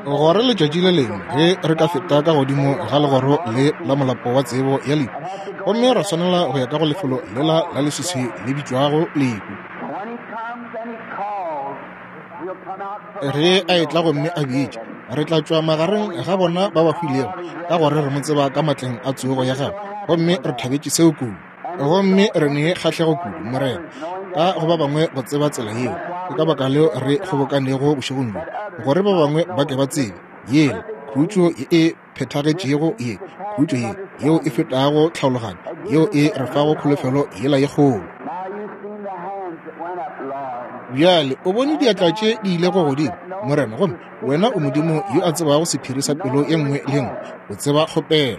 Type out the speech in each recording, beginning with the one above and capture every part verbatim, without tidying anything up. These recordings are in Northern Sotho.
Gore letšatši le lengwe ge re ka feta ka godimo ga legoro le la molapo wa tsebo ya lehu, gomme ra swanela go ya ka go lefelo lela la leswiswi le bitšwago lehu. Ge a etla gomme a bitša, re tla tšwa magareng ga bona ba ba hwilego, ka gore re mo tseba ka matleng a tsogo ya gagwe, gomme re thabetše seo kudu. Gomme re ne kgahlego kudu, Morena, ka go ba bangwe go tseba tsela yeo. Ke ka baka leo re kgobokanego bošegong bjo, gore ba bangwe ba ke ba tsebe yela khutšo ye e phethagetšego ye, khutšo ye yeo e fetago tlhaologanyo, yeo e re fago kholofelo yela ye kgolo. Bjale o bone diatla tše di ilego godimo, Morena, gomme wena o Modimo yo a tsebago sephiri sa pelo ye nngwe le nngwe, o tseba kgopelo.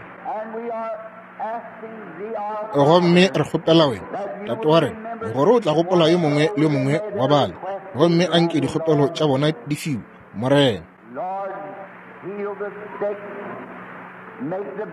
Gomme re kgopela wena, Tate wa rena, gore o tla gopola yo mongwe le yo mongwe wa bale, gomme a nke dikgopelo tša bona di fiwe, Morena.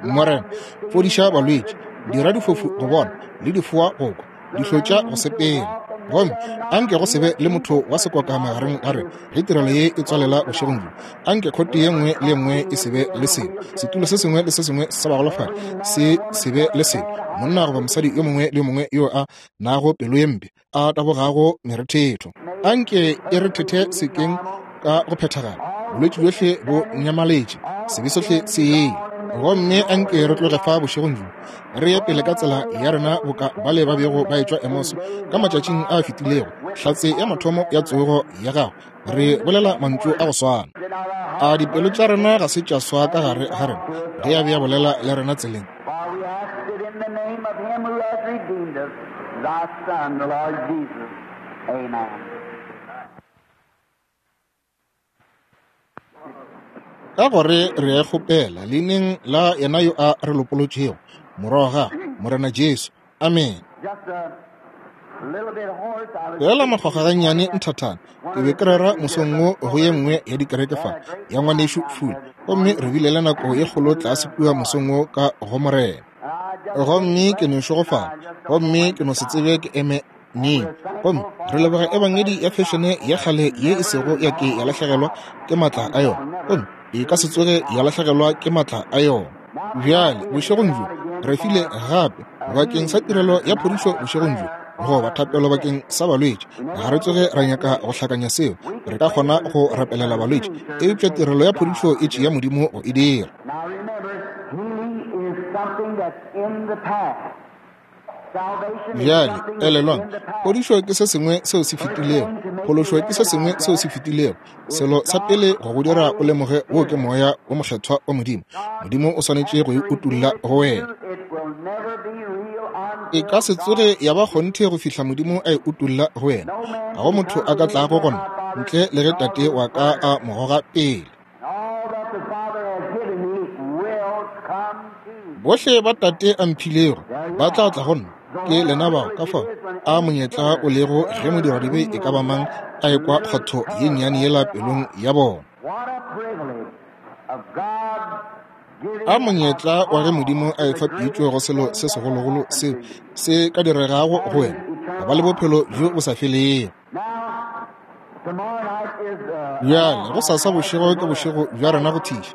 Morena, fodiša balwetši, dira difofu go bona le difoa go kwa, dihlotša go sepela. Gomme anke go se be le motho wa sekoka magareng ga rena ge tirelo ye e tswalela bošegong bjo. Anke khote ye nngwe le ye nngwe e se be le selo, setulo se sengwe le se sengwe sa bagolofadi se se be le selo, monna goba mosadi yo mongwe le yo mongwe yo a nago pelo ye mpe a tabogago merethetho. Anke e re thethe sekeng ka go phethagala, bolwetši bjohle bo nyamaletše, sebe sohle se yele. Gomme anke re tloge fa bošegong bjo, re ye pele ka tsela ya rena boka bale ba bego ba etšwa Emose ka matšatšing a fetilego, hlatse ya mathomo ya tsogo ya gagwe, re bolela mantšu a go swana. A dipelo tša rena ga se tša swa ka gare ga rena ge a be a bolela le rena tseleng? Ka gore re a kgopela leineng la yena yo a re lopolotšego, Morwa wa gagwe, Morena Jesu. Amen. Feela makgwakgwa gannyane nthathana, ke be ke rera mosong wo go ye nngwe ya dikereke fa ya ngwanešu Fule, gomme re bile le nako ye kgolo tlase kua mosong wo ka go Morena. Gomme ke no šegofala, gomme ke no se tsebe ke eme neng. Gomme re leboga ebangedi ya fešene ya kgale ye e sego ya ke ya lahlegelwa ke maatla a yona, gomme e ka se tsoge ya lahlegelwa ke maatla a yona. Bjale bošegong bjo re file gape bakeng sa tirelo ya phodišo bošegong bjo, goba thapelo bakeng sa balwetši. Ga re tsoge ra nyaka go hlakanya seo, re ka kgona go rapelela balwetši, eupša tirelo ya phodišo e tšea Modimo go e dira. Bjale elelwang, phodišo ke se sengwe seo se fetilego, phološo ke se sengwe seo se fetilego. Selo sa pele go go dira o lemoge wo ke moya wo mokgethwa wa Modimo. Modimo o swanetše go e utolla go wena. E ka se tsoge ya ba kgonthe go fihla Modimo a e utolla go wena. Ga go motho a ka tlago go nna ntle le ge Tate wa ka a mo goga pele. Bohle ba Tate a mphilego ba tla tla go nna. Ke lena bao. Ka fao a monyetla o lego ge modiradibe e ka ba mang a ekwa kgotho ye nnyane yela pelong ya bona. A monyetla wa ge Modimo a efa pitšo go selo se segologolo seo se ka diregago go wena, go ba le bophelo bjo bo sa felego. Bjale go sasa bošego ke bošego bja rena go thiša.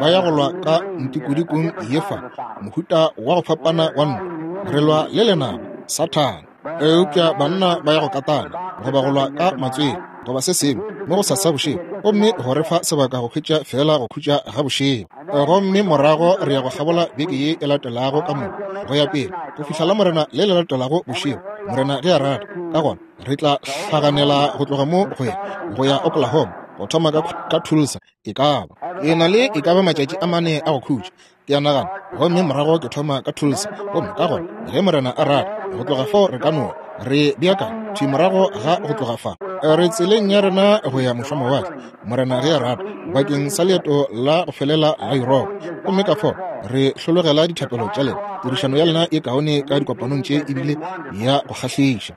Ba ya go lwa ka ntikodikong ye fa, mohuta wa go fapana wa ntwa. Re lwa le lenaba, Sathane. Eupša banna ba ya go katana, goba go lwa ka matswele, goba se sengwe mo go sasa bošego, gomme go re fa sebaka go hwetša fela go khutša ga bošego. Gomme morago re ya go kgabola beke ye e latelago ka moka go ya pele go fihla la Morena le le latelago bošego, Morena ge a rata. Ka gona re tla hlaganela go tloga mo go ya go ya Oklahoma, go thoma ka, ka Tulsa. E ka ba e na le e ka ba matšatši a mane a go khutša, ke a nagana, gomme morago ke thoma ka Tulsa. Gomme ka gona ge Morena a rata, go tloga fao re ka no re beakanya thwi morago ga go tloga fa, re tseleng ya rena go ya mošomawatle, Morena ge a rata, bakeng sa leeto la go felela la Yuropa. Gomme ka fao re hlologela dithapelo tša lena. Tirišano ya lena e kaone ka dikopanong tše ebile ya go kgahliša.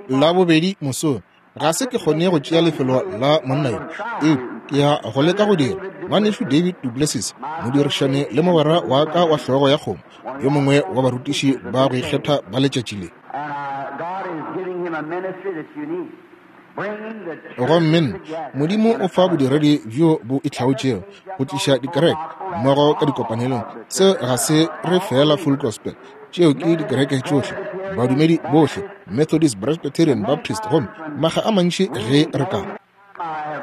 La bobedi mosong ga se ke kgone go tšea lefelo la monna yo, eupša ke ya go leka go dira. Ngwanešu David duPlessis, modirišane le mogwera wa ka wa hlogo ya kgomo, yo mongwe wa barutiši ba go ikgetha ba letšatši le. God is giving him a ministry that's unique. Gomme nna, Modimo o fa bodiredi bjo bo itlhaotšego go tliša dikereke mmogo ka dikopanelong. Seo ga se re fela Full Gospel, tšeo ke dikereke tšohle, badumedi bohle, Methodist, Presbyterian, Baptist, gomme maga a mantši ge re ka.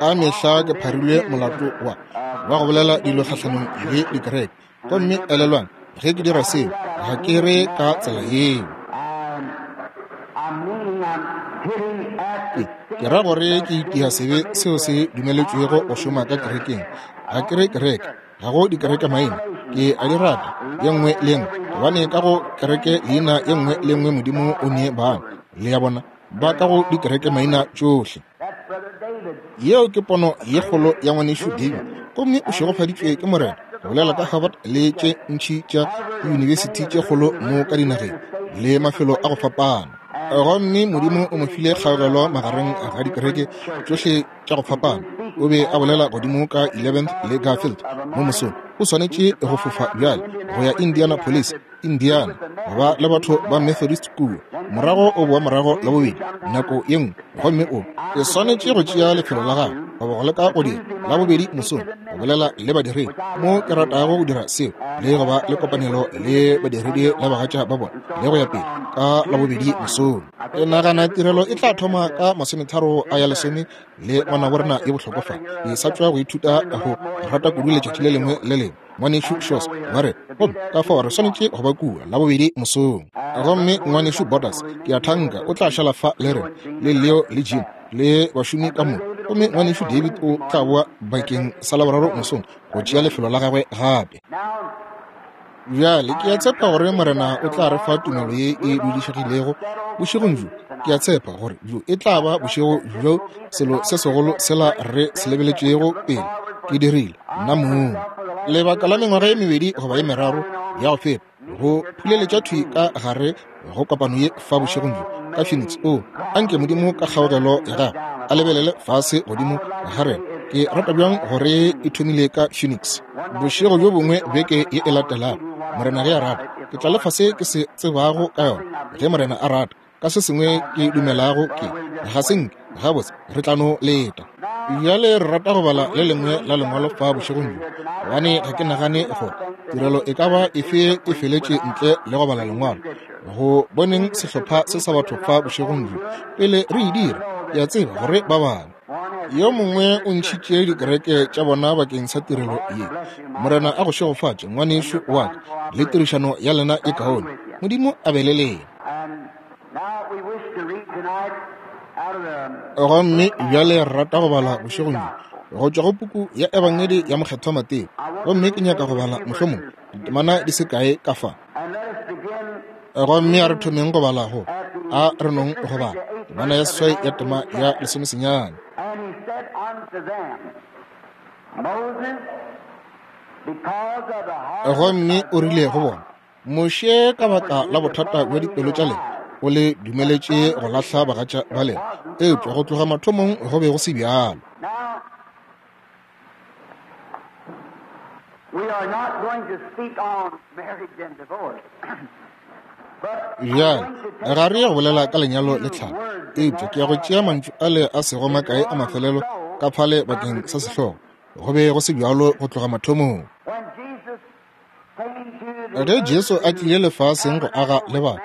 Ka mehla ke pharilwe molato wa wa go bolela dilo kgahlanong le dikereke. Gomme elelwang, ge ke dira seo, ga ke re ka tsela yeo. Ke, ke ra gore ke itia sebe seo se dumeletšwego go šoma ka kerekeng. Ga ke re kereke, ga go dikereke maina, ke a di rata ye nngwe le nngwe, gobane ka go kereke leina ye nngwe le nngwe Modimo o ne bana. Le ya bona, ba ka go dikereke maina tšohle. Yeo ke pono ye kgolo ya ngwanešu David, gomme o šegofaditšwe ke Morena go bolela ka Harvard le tše ntši tša diyunibesithi tše kgolo mo ka dinageng le mafelo a go fapana. Gomme Modimo o mo file kgaogelo magareng ga dikereke tšohle tša go fapana. O be a bolela godimo ka eleventh le Garfield mo mosong. O swanetše go fofa bjale go ya Indianapolis, Indiana, go ba le batho ba Methodist kua. Morago o boa morago la bobedi nako ye nngwe, gomme o e swanetše go tšea lefelo la gagwe goba go leka go dira la bobedi mosong go bolela le badiredi mo ke ratago go dira seo, le go ba le kopanelo le badiredi le bagatša ba bona le go ya pele ka la bobedi mosong. Ke nagana tirelo e tla thoma ka masometharo a ya lesome le ngwanabo rena ye bohlokwa fa. Ke sa tšwa go ithuta go rata kudu letšatši le lengwe le lengwe. Ngwanešu Shos wa re, gomme ka fao re swanetše go ba kua la bobedi mosong. Gomme ngwanešu Borders, ke a thanka o tla šala fa le rena, le Leo le Jim le bašomi ka moka. Gomme ngwanešu David o tla boa bakeng sa Laboraro mosong go tšea lefelo la gagwe gape. Bjale ke a tshepa gore Morena o tla re fa tumelo ye e dudišegilego bošegong bjo. Ke a tshepa gore bjo e tla ba bošego bjo selo se segolo sela re se lebeletšego pele. Ke dirile nna mong lebaka la mengwaga ye mebedi goba ye meraro ya go feta go phuleletša thwi ka gare go kopano ye fa bošegong bjo ka Phoenix. O anke Modimo ka kgaogelo ya gagwe a lebelele fase godimo ga rena. Ke rata bjang gore e thomile ka Phoenix. Bošego bjo bongwe beke ye e latelago, Morena ge a rata, ke tla lefa se ke se tsebago ka yona. Ge Morena a rata, ka se sengwe ke dumelago ke ga se nke gabotse re tla no leta. Bjale re rata go bala le lengwe la lengwalo fa bošegong bjo, gobane ga ke nagane gore tirelo e ka ba efe e feletše ntle le go bala lengwalo. Go boneng sehlopha se sa batho fa bošegong bjo pele re e dira, ke a tseba gore ba bangwe yo mongwe o ntšhitše dikereke tša bona bakeng sa tirelo ye. Morena a go šegofatše ngwanešu wa ka, le tirišano ya lena e kaone. Modimo a be le lena. Gomme bjale re rata go bala bošegong bjo go tšwa go puku ya Ebangedi ya Mokgethwa Mateo. Gomme ke nyaka go bala mohlomong ditemana di se kae ka fa. Gomme a re thomeng go bala go a re nong go bala temana ya seswai ya tema ya lesomesenyane. Gomme o rile go bona, Moshe ka baka la bothata bja dipelo tša lena o le dumeletše go lahla bagatša ba lena, eupša go tloga mathomong go be go se bjalo. Bjale ga re ye go bolela ka lenyalo le tlhalo, eupša ke ya go tšea mantšu ale a sego makae a mafelelo ka phale bakeng sa sehlogo. Go be go se bjalo go tloga mathomong. Ge Jesu a tlile lefaseng go aga le batho,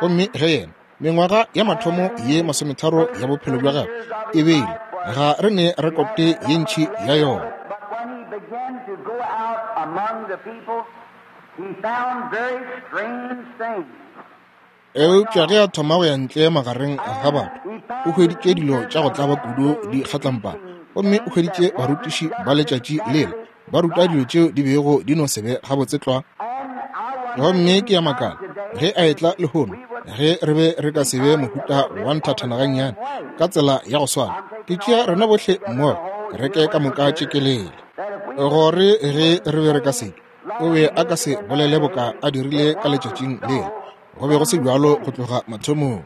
gomme ge yena mengwaga ya mathomo ye masometharo ya bophelo bja gagwe e beile, ga re ne rekote ye ntši ya yona. Eupša ge a thoma go ya ntle magareng ga batho, o hweditše dilo tša go tlaba kudu di kgatlampana, gomme o hweditše barutiši ba letšatši lela ba ruta dilo tšeo di bego di no se be gabotse tlwa. Gomme ke ya makala ge a etla lehono, ge re be re ka se be mohuta wa nthathana gannyane ka tsela ya go swana. Ke tšea rena bohle mmogo, kereke ka moka tšekelele, gore ge re be re ka seke, o be a ka se bolele boka a dirile ka letšatšing lela. Go be go se bjalo go tloga mathomong.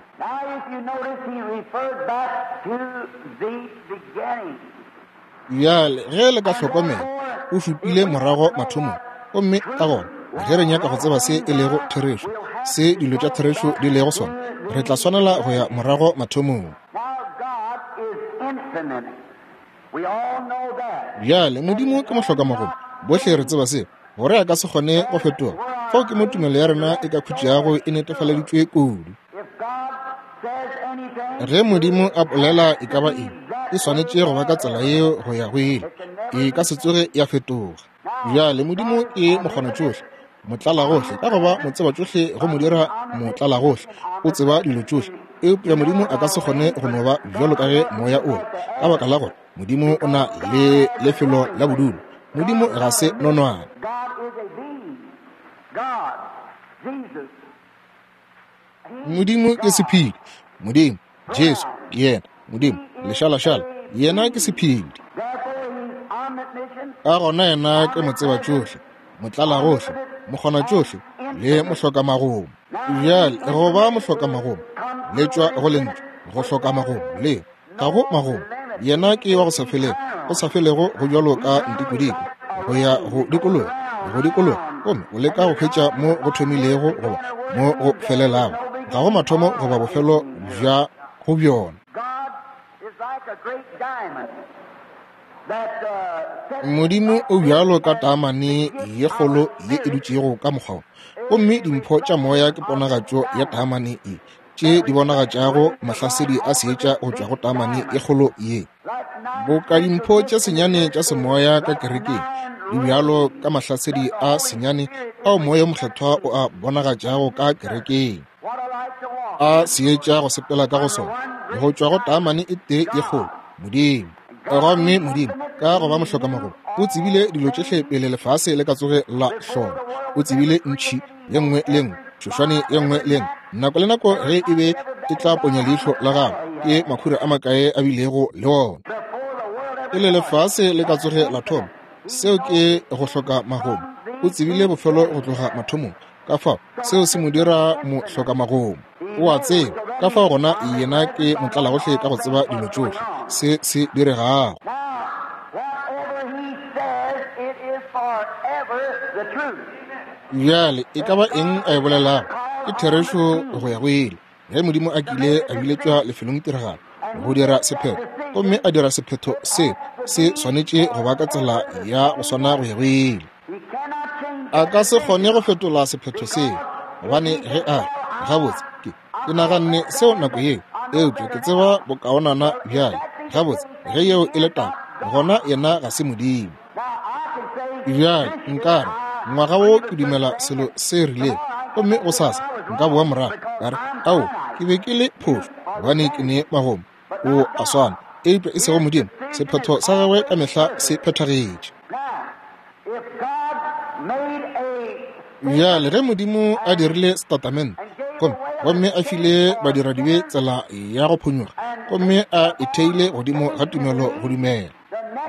Bjale ge le ka hlokomela, o šupile morago mathomong. Gomme ka gona ge re nyaka go tseba se e lego therešo, se dilo tša therešo di lego sona, re tla swanela go ya morago mathomong. Bjale, Modimo ke mohlokamagomo. Bohle re tseba seo, gore a ka se kgone go fetoga. Fao ke mo tumelo ya rena e ka khutšago e netefaleditšwe kudu. Ge Modimo a bolela e ka ba eng, e swanetše go ba ka tsela yeo go ya go ile. E ka se tsoge ya fetoga. Bjale, Modimo ke mokgonatšohle, motlalagohle, ka go ba motsebatšohle go mo dira motlalagohle. O tseba dilo tšohle. Eupša Modimo a ka se kgone go no ba bjalo ka ge moya o le, ka baka la gore Modimo o na le lefelo la bodulo. Modimo ga se nonwane. Modimo ke sephedi. Modimo, Jesu, yena, Modimo, lešalašala, yena ke sephedi. Ka gona yena ke motsebatšohle, motlalagohle, mokgonatšohle le mohlokamagomo. Bjale, go ba mohlokamagomo le tšwa go lentšu go hloka magomo, le ga go magomo. Yena ke wa go sa felego, go sa felego go bjalo ka ntikodiko, go ya go dikologa, go dikologa, gomme o leka go hwetša mo go thomilego goba mo go felelago. Ga go mathomo goba bofelo bja go bjona. Modimo o bjalo ka taamane ye kgolo ye e dutšego ka mokgwa wo, gomme dimpho tša moya ke ponagatšo ya taamane ye, tše di bonagatšago mahlasedi a seetša go tšwa go taamane ye kgolo ye. Boka dimpho tše senyane tša semoya ka kerekeng di bjalo ka mahlasedi a senyane ao moya mokgethwa o a bonagatšago ka kerekeng, a seetša go sepela ka go sona go tšwa go taamane e tee ye kgolo, Modimo. Gomme Modimo, ka go ba mohlokamagomo, o tsebile dilo tšohle pele lefase le ka tsoge la hloma. O tsebile ntšhi ye nngwe le nngwe, tšhošwane ye nngwe le nngwe, nako le nako ge e be e tla ponya leihlo la gagwe, ke makhura a makae a bilego le ona pele lefase le ka tsoge la thoma. Seo ke go hloka magomo. O tsebile bofelo go tloga mathomong. Ka fao seo se mo dira mohlokamagomo. O a tseba. Ka fao gona yena ke motlalagohle ka go tseba dilo tšohle se se diregago. Bjale, e ka ba eng a e bolelago ke therešo go ya go ile. Ge Modimo a kile a biletšwa lefelong tiragalo go dira sephetho, gomme a dira sephetho se se swanetše go ba ka tsela ya go swana go ya go ile. A ka se kgone go fetola sephetho seo, gobane ge a re, gabotse, ke ke naganne seo nako yeo, eupša ke tseba bokaonana bjale. Gabotse, ge yeo e le taba, gona yena ga se Modimo. Bjale nka re, ngwaga wo ke dumela selo se rilego, gomme gosasa nka boa morago ka re, ao, ke be ke le phošo, gobane ke ne magomo. O a swana, eupša e sego Modimo. Sephetho sa gagwe ka mehla se phethagetše. Bjale, ge Modimo a dirile setatamente, gomme gomme a file badiradibe tsela ya go phonyokga, gomme a e theile godimo ga tumelo go dumela,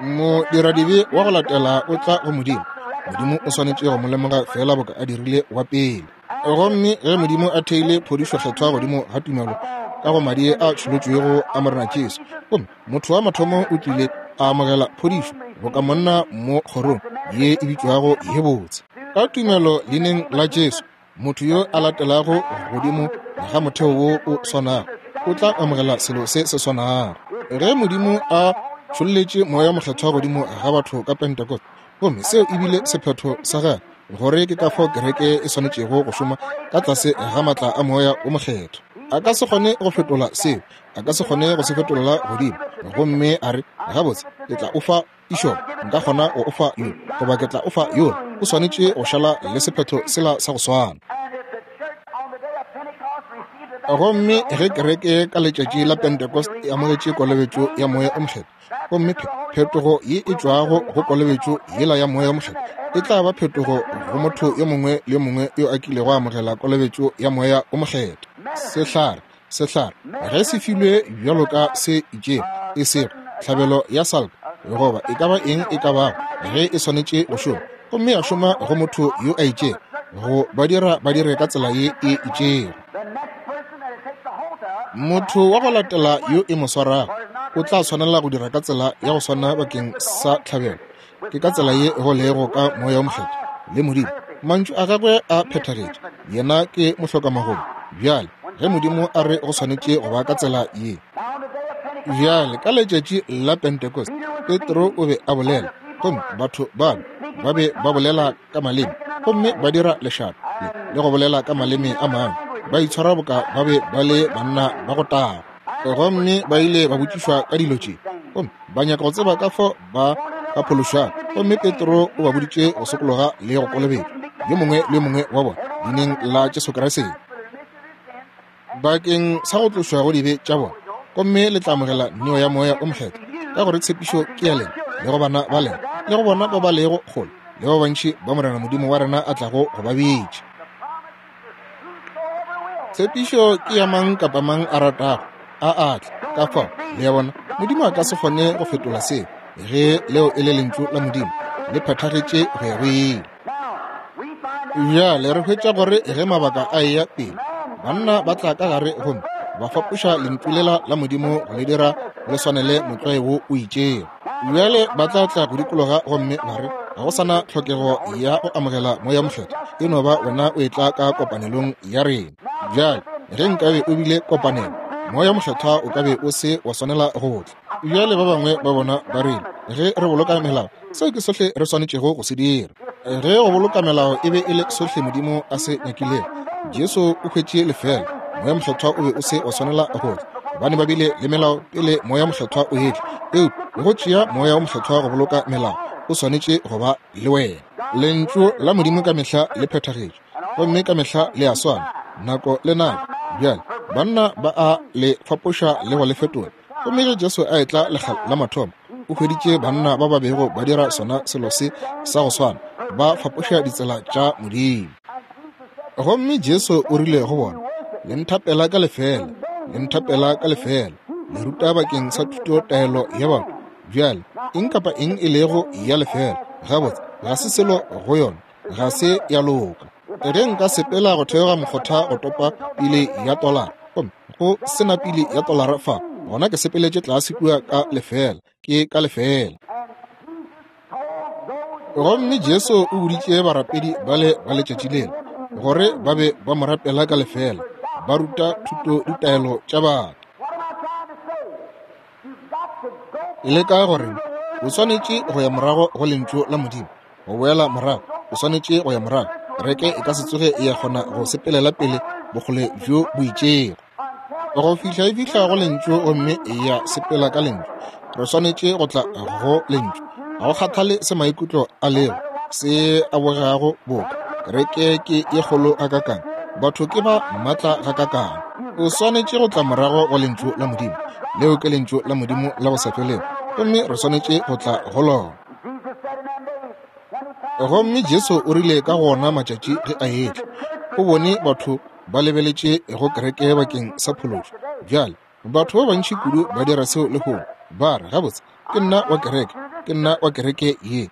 modiradibe wa go latela o tla go Modimo. Modimo o swanetše go mo lemoga fela boka a dirile wa pele. Gomme ge Modimo a theile phodišo kgethwa godimo ga tumelo ka go madi a tšholotšwego a Morena Jesu, gomme motho wa mathomo o tlile a amogela phodišo boka monna mo kgorong ye e bitšwago ye botse, ka tumelo leineng la Jesu, motho yo a latelago godimo ga motheo wo o swanago o tla amogela selo se se swanago. Ge Modimo a tšholletše moya mokgethwa godimo ga batho ka Pentecost, gomme seo e bile sephetho sa gagwe, gore ke ka fao kereke e swanetšego go šoma ka tlase ga matla a moya o mokgethwa. A ka se kgone go fetola seo, a ka se kgone go se fetolela godimo, gomme a re, gabotse, ke tla o fa išo, nka kgona go o fa yo, goba ke tla o fa yola. O swanetše go šala le sephetho sela sa go swana. Gomme ge kereke ka letšatši la Pentecost e amogetše kolobetšo ya moya o mokgethwa, gomme phetogo ye e tšwago go kolobetšo yela ya moya o mokgethwa e tla ba phetogo go motho yo mongwe le yo mongwe yo a kilego a amogela kolobetšo ya moya o mokgethwa. Sehlare, sehlare ge se filwe bjalo ka se itšego, e sego tlhabelo ya salka goba e ka ba eng e ka bago, ge e swanetše go šoma, gomme ya šoma go motho yo a itšego, go ba dira ba dire ka tsela ye e itšego. Motho wa go latela yo e mo swarago o tla swanela go dira ka tsela ya go swana bakeng sa tlhabelo. Ke ka tsela ye go lego ka moya o mokgethwa le Modimo. Mantšu a gagwe a phethagetše. Yena ke mohlokamagomo. Bjale, ge Modimo a re go swanetše go ba ka tsela ye. Bjale ka letšatši la Pentecost, Petro o be a bolela, gomme batho ba ba be ba bolela ka maleme, gomme ba dira lešata le go bolela ka maleme a mangwe, ba itshwara boka ba be ba le banna ba go taga. Gomme ba ile ba botšišwa ka dilo tše, gomme ba nyaka go tseba ka fao ba ka phološwago. Gomme Petro o ba boditše go sokologa le go kolobetšwa, yo mongwe le yo mongwe wa bona, leineng la Jesu Kriste, bakeng sa go tlošwa go dibe tša bona, gomme le tla amogela neo ya Moya o Mokgethwa, ka gore tshepišo ke ya lena le go bana ba lena le go bona ba ba lego kgole le ba bantši ba Morena Modimo wa rena a tlago go ba bitša. Tshepišo ke ya mang kapa mang a ratago a atle. Ka fao le ya bona, Modimo a ka se kgone go fetola seo, ge leo e le lentšu la Modimo le phethagetše go ya go ile. Bjale re hwetša gore ge mabaka a eya pele, banna ba tla ka gare gomme ba fapoša lentšu lela la Modimo go le dira le swanele motlwae wo o itšego. Bjale ba tla tla go dikologa gomme ba re ga go sana tlhokego ya go amogela Moya Mokgethwa, e no ba wena o etla ka kopanelong ya rena. Bjale ge nkabe o bile kopanelo, Moya Mokgethwa o ka be o se wa swanela go tla. Bjale ba bangwe ba bona ba rile ge re boloka melao, seo ke sohle re swanetšego go se dira. Ge go boloka melao e be e le sohle Modimo a se nyakilego, Jesu o hwetše lefela. Moya Mokgethwa o be o se wa swanela go tla, gobane ba bile le melao pele Moya Mokgethwa o etla. Eupša go tšea Moya o Mokgethwa go boloka melao, o swanetše go ba le wena. Lentšu la Modimo ka mehla le phethagetše, gomme ka mehla le a swana nako le nako. Bjale banna ba a le fapoša le go le fetola. Gomme ge Jesu a etla lekga la mathomo, o hweditše banna ba ba bego ba dira sona selo se sa go swana, ba fapoša ditsela tša Modimo. Gomme Jesu o rile go bona, le nthapela ka lefela, le nthapela ka lefela, le ruta bakeng sa thuto taelo ya batho. Bjale eng kapa eng e lego ya lefela, gabotse ga se selo go yona, ga se ya loka. Ge nka sepela go theoga mokgotha go topa pile ya tolara, gomme go sena pile ya tolara fa, gona ke sepeletše tlase kua ka lefela, ke ka lefela. Gomme Jesu o boditše barapedi bale ba letšatši lela gore ba be ba mo rapela ka lefela, ba ruta thuto ditaelo tša batho. Le ka gore o swanetše go ya morago go lentšu la Modimo, go boela morago, o swanetše go ya morago. Kereke e ka se tsoge ya kgona go sepelela pele bokgole bjo bo itšego go fihla e fihla go lentšu gomme ya sepela ka lentšu. Re swanetše go tla go lentšu, ga go kgathale se maikutlo a lego se a bogegago boka. Kereke ke ye kgolo gakakang, batho ke ba maatla gakakang. O swanetše go tla morago go lentšu la Modimo. Leo ke lentšu la Modimo la go sa felego, gomme re swanetše go tla go lona. Gomme Jesu o rile ka gona matšatši ge a etla, o bone batho ba lebeletše go kereke bakeng sa phološo. Bjale batho ba bantši kudu ba dira seo lehono, ba re gabotse ke nna wa kereke, ke nna wa kereke ye,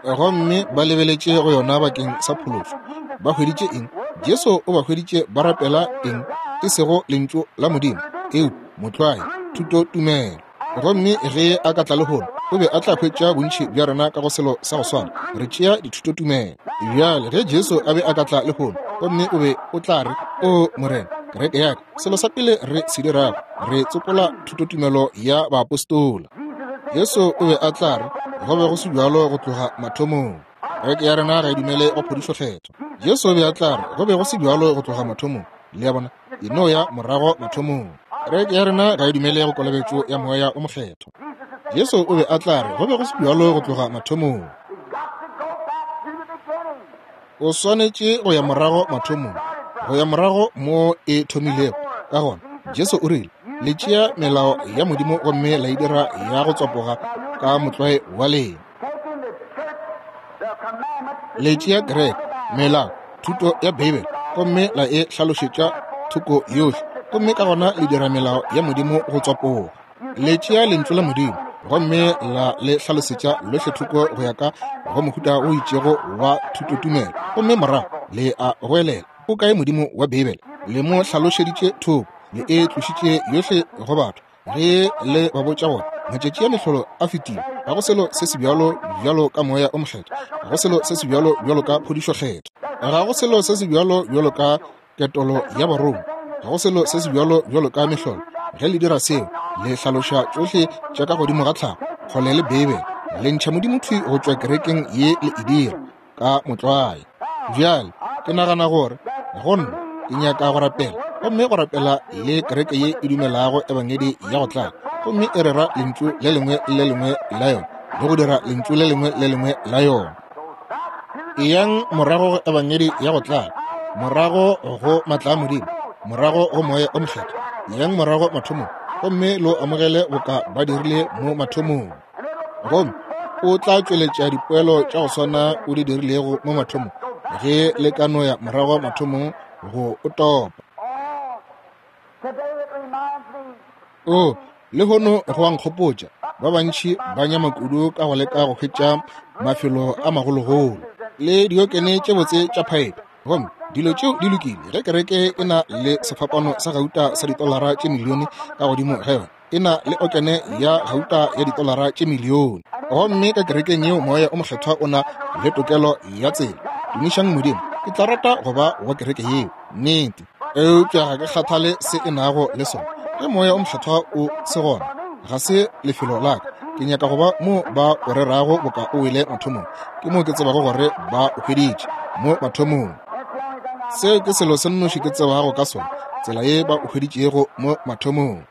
gomme ba lebeletše go yona bakeng sa phološo. Ba hweditše eng? Jesu o ba hweditše ba rapela eng? E sego lentšu la Modimo, eupša motlwae, thuto tumelo. Gomme ge a ka tla lehono, o be a tla hwetša bontši bja rena ka go selo sa go swana, re tšea dithutotumelo. Bjale ge Jesu a be a ka tla lehono, gomme o be o tla re, o Morena, kereke ya ka, selo sa pele re se dirago, re tsopola thutotumelo ya baapostola. Jesu o be a tla re, go be go se bjalo go tloga mathomong. Kereke ya rena ga e dumele go phodišo kgethwa. Jesu o be a tla re, go be go se bjalo go tloga mathomong. Le a bona, e no ya morago mathomong. Kereke ya rena ga e dumele go kolobetšo ya Moya o Mokgethwa. Jesu o be a tla re, go be go se bjalo go tloga mathomong. O swanetše go ya morago mathomong, go ya morago mo e thomilego. Ka gona Jesu o rile, le tšea melao ya Modimo gomme la e dira ya go tswapoga ka motlwae wa lena. Le tšea kereke, melao, thuto ya Beibele, gomme la e hlalošetša thoko yohle, gomme ka gona le dira melao ya Modimo go tswapoga. Le tšea lentšu la Modimo gomme la le hlalosetša lohle thoko go ya ka go mohuta o itšego wa thutotumelo, gomme morago le a goelela, o kae Modimo wa Beibele? Le mo hlalošeditše thoko, le e tlošitše yohle go batho. Ge le ba botša gore matšatši a mehlolo a fetile, ga go selo se se bjalo bjalo ka Moya o Mokgethwa, ga go selo se se bjalo bjalo ka phodišo kgethwa, ga go selo se se bjalo bjalo ka ketolo ya barongwa, ga go selo se se bjalo bjalo ka mehlolo. Ge le dira seo, Le hlaloša tšohle tša ka godimo ga tlhago, kgole le Beibele. Le ntšha Modimo thwi go tšwa kerekeng ye le e dira ka motlwae. Bjale ke nagana gore go nna ke nyaka go rapela, gomme go rapela le kereke ye e dumelago ebangedi ya go tlala, gomme e rera lentšu le lengwe le lengwe la yona le go dira lentšu le lengwe le lengwe la yona. Eyang morago go ebangedi ya go tlala, morago go matla a Modimo, morago go Moya o Mokgethwa. Eyang morago mathomong, gomme lo amogele boka ba dirile mo mathomong. Gomme o tla tšweletša dipoelo tša go swana o di dirilego mo mathomong, ge le ka no ya morago mathomong go o topa. O lehono go a nkgopotša, ba bantši ba nyama kudu ka go leka go hwetša mafelo a magologolo le diokene tše botse tša phaepe. Gomme dilo tšeo di lokile ge kereke e na le sefapano sa gauta sa ditolara tše milione ka godimo ga yona, e na le okene ya gauta ya ditolara tše milione. Gomme ka kerekeng yeo Moya o Mokgethwa o na le tokelo ya tsela. Tumišang Modimo, ke tla rata go ba wa kereke yeo, nnete. Eupša ga ke kgathale se e nago le sona. Ge Moya o Mokgethwa o se gona, ga se lefelo la ka. Ke nyaka go ba mo ba o rerago boka o wele mathomong. Ke mo ke tsebago gore ba o hweditše mo mathomong. Seo ke selo se nnoši ke tsebago ka sona, tsela ye ba o hweditšego mo mathomong.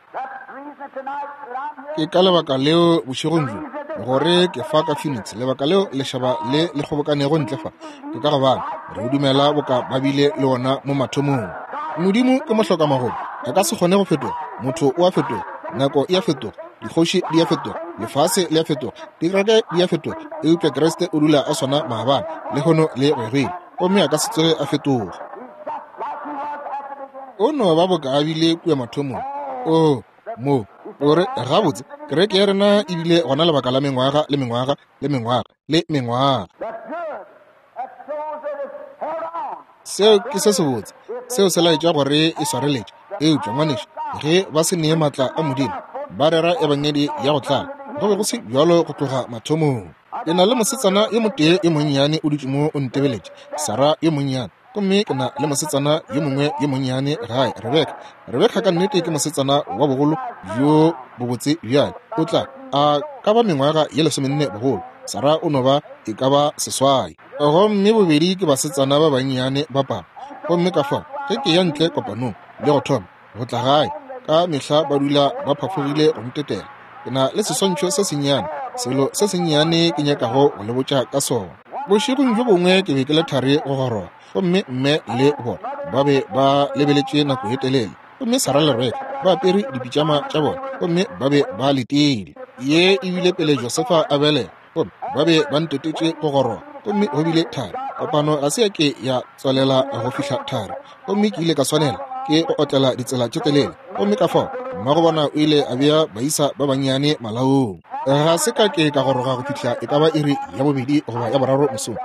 Ke ka lebaka leo bošegong bjo gore ke fa ka Phoenix, lebaka leo lešaba le le kgobokanego ntle fa, ke ka gobane re o dumela boka ba bile le ona mo mathomong. Modimo ke mohlokamagolo, a ka se kgone go fetoga. Motho o a fetoga, nako e a fetoga, dikgoši di a fetoga, lefase le a fetoga, dikereke di a fetoga, eupša Kriste o dula a swana maabane, lehono le go ya go ile, gomme a ka se tsoge a fetoga. O no ba boka a bile kua mathomong. O mo gore gabotse kereke ya rena e bile gona lebaka la mengwaga le mengwaga le mengwaga le mengwaga. Seo ke se sebotse, seo se laetša gore e swareletše. Eupša ngwanešu, ge ba se nee matla a Modimo, ba rera ebangedi ya go tlala, go be go se bjalo go tloga mathomong. Ke na le mosetsana yo motee yo monnyane o dutše mo o ntebeletše, Sara yo monnyane. Gomme ke na le mosetsana yo mongwe yo monnyane gae, Rebeka. Rebeka ka nnete ke mosetsana wa bogolo bjo bobotse bjale. O tla a ka ba mengwaga ye lesomenne bogolo. Sara o no ba e ka ba seswai. Gomme bobedi ke basetsana ba bannyane ba papa. Gomme ka fao ge ke ya ntle kopanong le go thoma go tla gae, ka mehla ba dula ba phafogile go ntetela. Ke na le seswantšho se sennyane, selo se sennyane ke nyakago go le botša ka sona. Bošegong bjo bongwe ke be ke le thari go goroga, gomme mme le bona ba be ba lebeletše nako e telele. Gomme Sara le Rebeka ba apere dipitšama tša bona, gomme ba be ba letile. Ye e bile pele Josefa a belega, gomme ba be ba ntetetše go goroga, gomme go bile thari. Kopano ga se ya ke ya tswalela go fihla thari, gomme ke ile ka swanela ke go otlela ditsela tše telele. Gomme ka fao mmago bona o ile a bea baisa ba bannyane malaong. Ga se ka ke ka goroga go fihla e ka ba iri ya bobedi goba ya boraro mosong.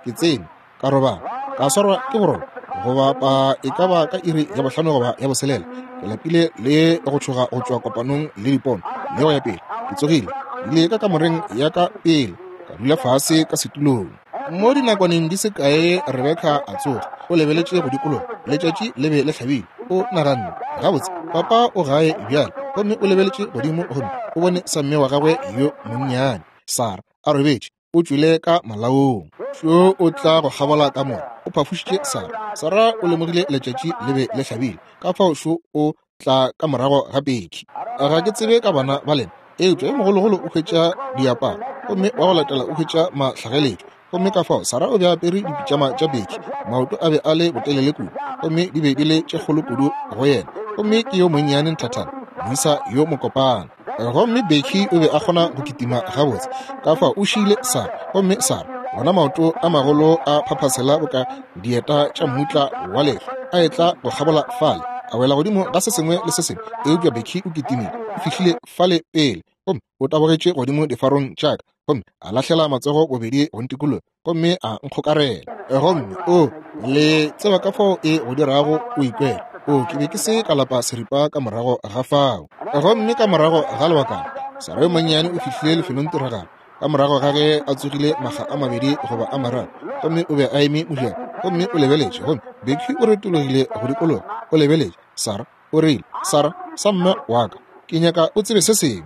Ke tsene ka robala, ka swarwa ke boroko goba pa e ka ba ka iri ya bohlano goba ya boselela. Ke lapile le go tšhoga go tšwa kopanong le dipono le go ya pele. Ke tsogile, ile ka kamoreng ya ka pele, ka dula fase ka setulong. Mo dinakwaneng di se kae Rebeka a tsoga, o lebeletše go dikologa. Letšatši le be le hlabile. O naganne, gabotse papa o gae bjale. Gomme o lebeletše godimo gomme o bone sa mme wa gagwe yo monnyane Sara a robetše, o tšwile ka malaong. Šo o tla go kgabola kamora, o phafošitše Sara. Sara o lemogile letšatši le be le hlabile, ka fao šo o tla ka morago ga Beki. Ga ke tsebe ka bana ba lena, eupša yo mogologolo o hwetša diaparo, gomme wa go latela o hwetša mahlagaletšo. Gomme ka fao Sara o be a apere dipitšama tša Beki, maoto a be a le botelele kudu, gomme di be di le tše kgolo kudu go yena. Gomme ke yo monnyane nthathana, moisa yo mokopana. Gomme Beki o be a kgona go kitima gabotse, ka fao o šiile Sara. Gomme Sara bona maoto a magolo a phaphasela boka dieta tša mmutla wa lehlwa, a etla go kgabola fale, a wela godimo ga se sengwe le se sengwe. Eupša Beki o kitimile, o fihlile fale pele, gomme o tabogetše godimo difarong tša ka, gomme a lahlela matsogo bobedi go ntikologa, gomme a nkgokarela. Gomme o le tseba ka fao e go dirago o ikwela. O ke be ke se ka lapa seripa ka morago ga fao. Gomme ka morago ga lebakana, Sara yo monnyane o fihlile lefelong tiragalo, ka morago ga ge a tsogile makga a mabedi goba a mararo, gomme o be a eme mojako, gomme o lebeletše. Gomme Beki o retologile go dikologa, o lebeletše Sara, o rile, Sara, sa mme wa ka, Ke nyaka o tsebe se sengwe.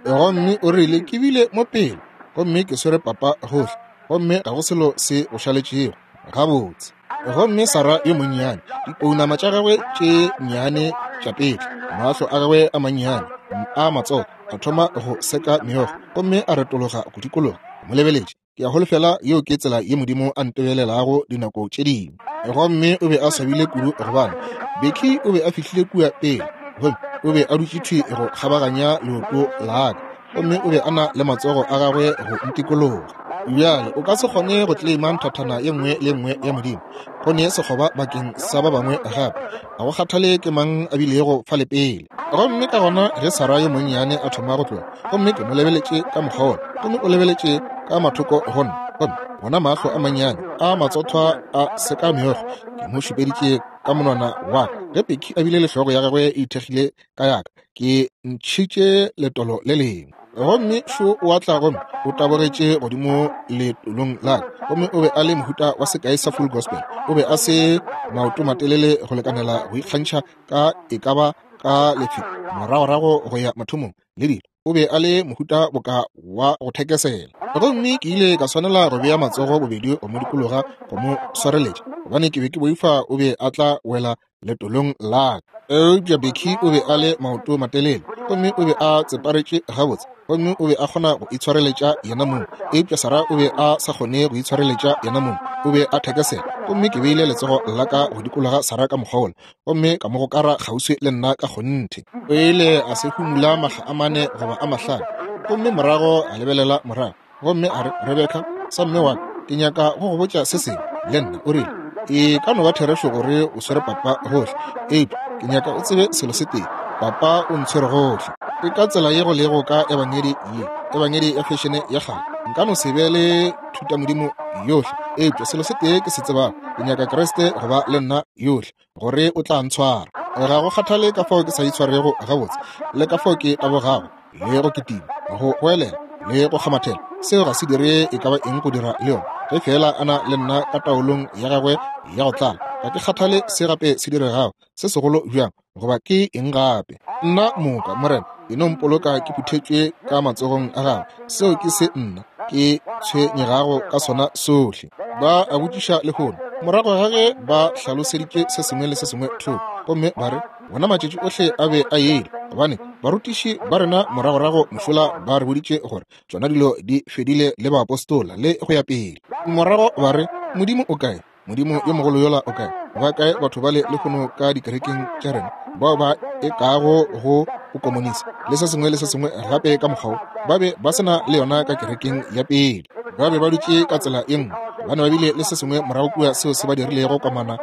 Gomme o rile, ke bile mo pele, gomme ke swere papa gohle, gomme ga go selo se go šaletšego. Gabotse. Gomme Sarah yo monnyane, dipounama tša gagwe tše nnyane tša petla, mahlo a gagwe a mannyane a matsogo a thoma go seka meokgo, gomme a retologa go dikologa mo lebeletše. Ke a holofela yeo ke tsela ye Modimo a ntebelelago dinako tše dingwe. Gomme o be a swabile kudu gobane Becky o be a fihlile kua pele, gomme o be a dutše thwi go kgabaganya leoto la ka, gomme o be a na le matsogo a gagwe go ntikologa. Bjale o ka se kgone go claima nthathana ye nngwe le nngwe ya Modimo, go ne sekgoba bakeng sa ba bangwe gape. Ga go kgathale ke mang a bilego fale pele. Gomme ka gona ge Sarah yo monnyane a thoma go tloga, gomme ke mo lebeletše ka mokgwa wola, gomme o lebeletše ka mathoko go nna, gomme wona mahlo a mannyane a matsothwa a seka meokgo, ke mo šupeditše ka monwana wa ka. Ge Becky a bile le hlogo ya gagwe e ithekgile ka yaka, ke ntšhitše letolo le lengwe. Gomme šo o atla gomme o tabogetše godimo letolong la ka, gomme o be a le mohuta wa sekai sa full gospel. O be a se maoto matelele go lekanela go ikgantšha ka e ka ba ka lefelo moragorago go ya mathomong le dilo. O be a le mohuta boka wa go thekesela. Gomme ke ile ka swanela go bea matsogo bobedi go mo dikologa go mo swareletša, gobane ke be ke boifa o be a tla wela letolong la ka. Eupša Becky o be a le maoto matelele, gomme o be a tseparetše gabotse, gomme o be a kgona go itshwareletša yena mong. Eupša Sarah o be a sa kgone go itshwareletša yena mong, o be a thekesela. Gomme ke beile letsogo la ka go dikologa Sarah ka mokgwa wola, gomme ka mo gokara kgauswi le nna ka kgonthe. O ile a se humula mahla a mane goba a mahlano, gomme morago a lebelela morago, gomme a re, Rebecca, sa mme wa ka, ke nyaka go go botša se sengwe le nna. O rile, e ka no ba therešo gore o swere papa gohle, eupša ke nyaka o tsebe selo se tee, papa o ntshwere gohle. Ke ka tsela ye go lego ka ebangedi ye, ebangedi ya fešene ya kgale. Nka no se be le thutamodimo yohle, eupša selo se tee ke se tsebago, ke nyaka Kriste go ba le nna yohle, gore o tla ntshwara. Ga go kgathale ka fao ke sa itshwarego gabotse, le ka fao ke tabogago, le go kitima, go goelela, le go kgamathela, seo ga se dire e ka ba eng go dira le yona. Ge fela a na le nna ka taolong ya gagwe ya go tlala, ga ke kgathale se gape se diregago, se segolo bjang, goba ke eng gape. Nna moka, Morena, e no mpoloka ke phuthetšwe ka matsogong a gagwe. Seo ke se nna ke tshwenyegago ka sona sohle. Ba a botšiša lehono, morago ga ge ba hlaloseditše se sengwe le se sengwe thoko, gomme ba re, wona matšatši ohle a be a ele, gobane barutiši ba rena moragorago mošola ba re boditše gore tšona dilo di fedile le baapostola le go ya pele. Morago ba re, Modimo o kae? Modimo yo mogolo yola o kae? Ba kae batho bale lehono ka dikerekeng tša rena bao ba e kago go bokomonisi le se sengwe le se sengwe gape ka mokgwa wo? Ba be ba se na le yona ka kerekeng ya pele. Ba be ba dutše ka tsela ye nngwe, gobane ba bile le se sengwe morago kua seo se ba dirilego komana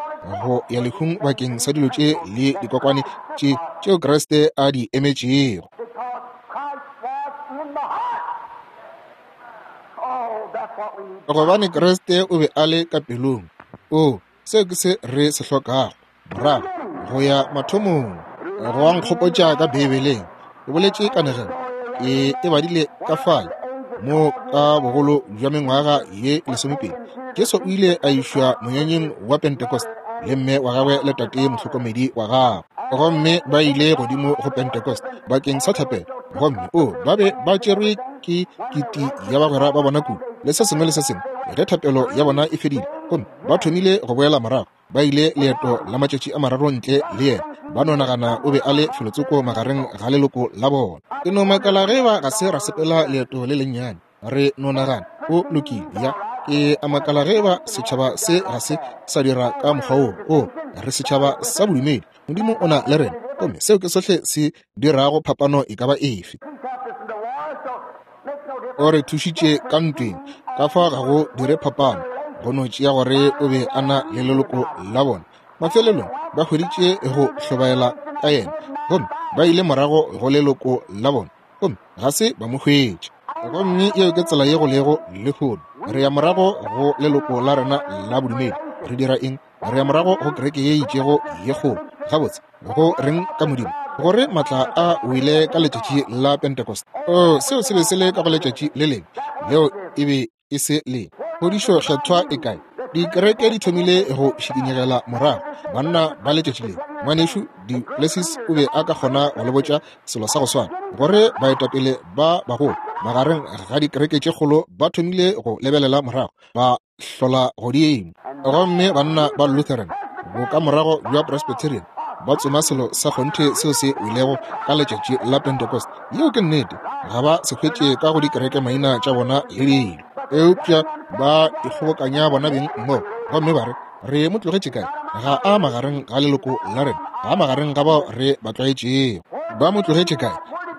go ya lehung bakeng sa dilo tše le dikokwane tše tšeo Kriste a di emetšego. Gobane Kriste o be a le ka pelong. O, seo ke se re se hlokago, morago go ya mathomong. Go a nkgopotša ka Beibeleng, ke boletše kanegelo, ke e badile ka fale mo ka bogolo bja mengwaga ye lesomepedi. Jesu o ile a išwa monyanyeng wa Pentecost le mme wa gagwe le tate mohlokomedi wa gagwe, gomme ba ile godimo go Pentecost bakeng sa thapelo. Gomme o ba be ba tšerwe ke kiti ya bagwera ba bona kudu le se sengwe le se sengwe. Ge thapelo ya bona e fedile, gomme ba thomile go boela morago, ba ile leeto la matšatši a mararo ntle le yena. Ba no nagana o be a le felotsoko magareng ga leloko la bona. Ke no makala ge ba ga se ra sepela leeto le lennyane, re no nagana o lokile. Ya, ke a makala ge ba setšhaba se ga se sa dira ka mokgwa wo. O re setšhaba sa bodumedi, Modimo o na le rena, gomme seo ke sohle se dirago phapano e ka ba efe. O re thušitše ka ntweng, ka fa ga go dire phapano, go no tšea gore o be a na le leloko la bona. Mafelelong ba hweditše go hlobaela ka yena, gomme ba ile morago go leloko la bona, gomme ga se ba mo hwetše. Gomme yeo ke tsela ye go lego lehono. Re ya morago go leloko la rena la bodumedi. Re dira eng? Re ya morago go kereke ye itšego ye kgolo. Gabotse, go reng ka Modimo? Gore matla a wele ka letšatši la Pentecost. Oh, seo se be se le ka go letšatši le lengwe, leo e be e se le. Phodišo kgethwa e kae? Dikereke di thomile go šikinyegela morago, banna ba letšatši le. Ngwanešu Du Plessis o be a ka kgona go le botša selo sa go swana, gore baetapele ba bagolo magareng ga dikereke tše kgolo ba thomile go lebelela morago, ba hlola godimo. Gomme banna ba Lutheran, bokamorago bja Presbyterian, ba tsoma selo sa kgonthe seo se welego ka letšatši la Pentecost. Yeo ke nnete, ga ba se hwetše ka go dikereke maina tša bona le dilo, eupša ba ikgobokanya bona beng mmogo gomme ba re, re mo tlogetše kae? Ga a magareng ga leloko la rena, ga a magareng ga bao re ba tlwaetšego. Ba mo tlogetše kae?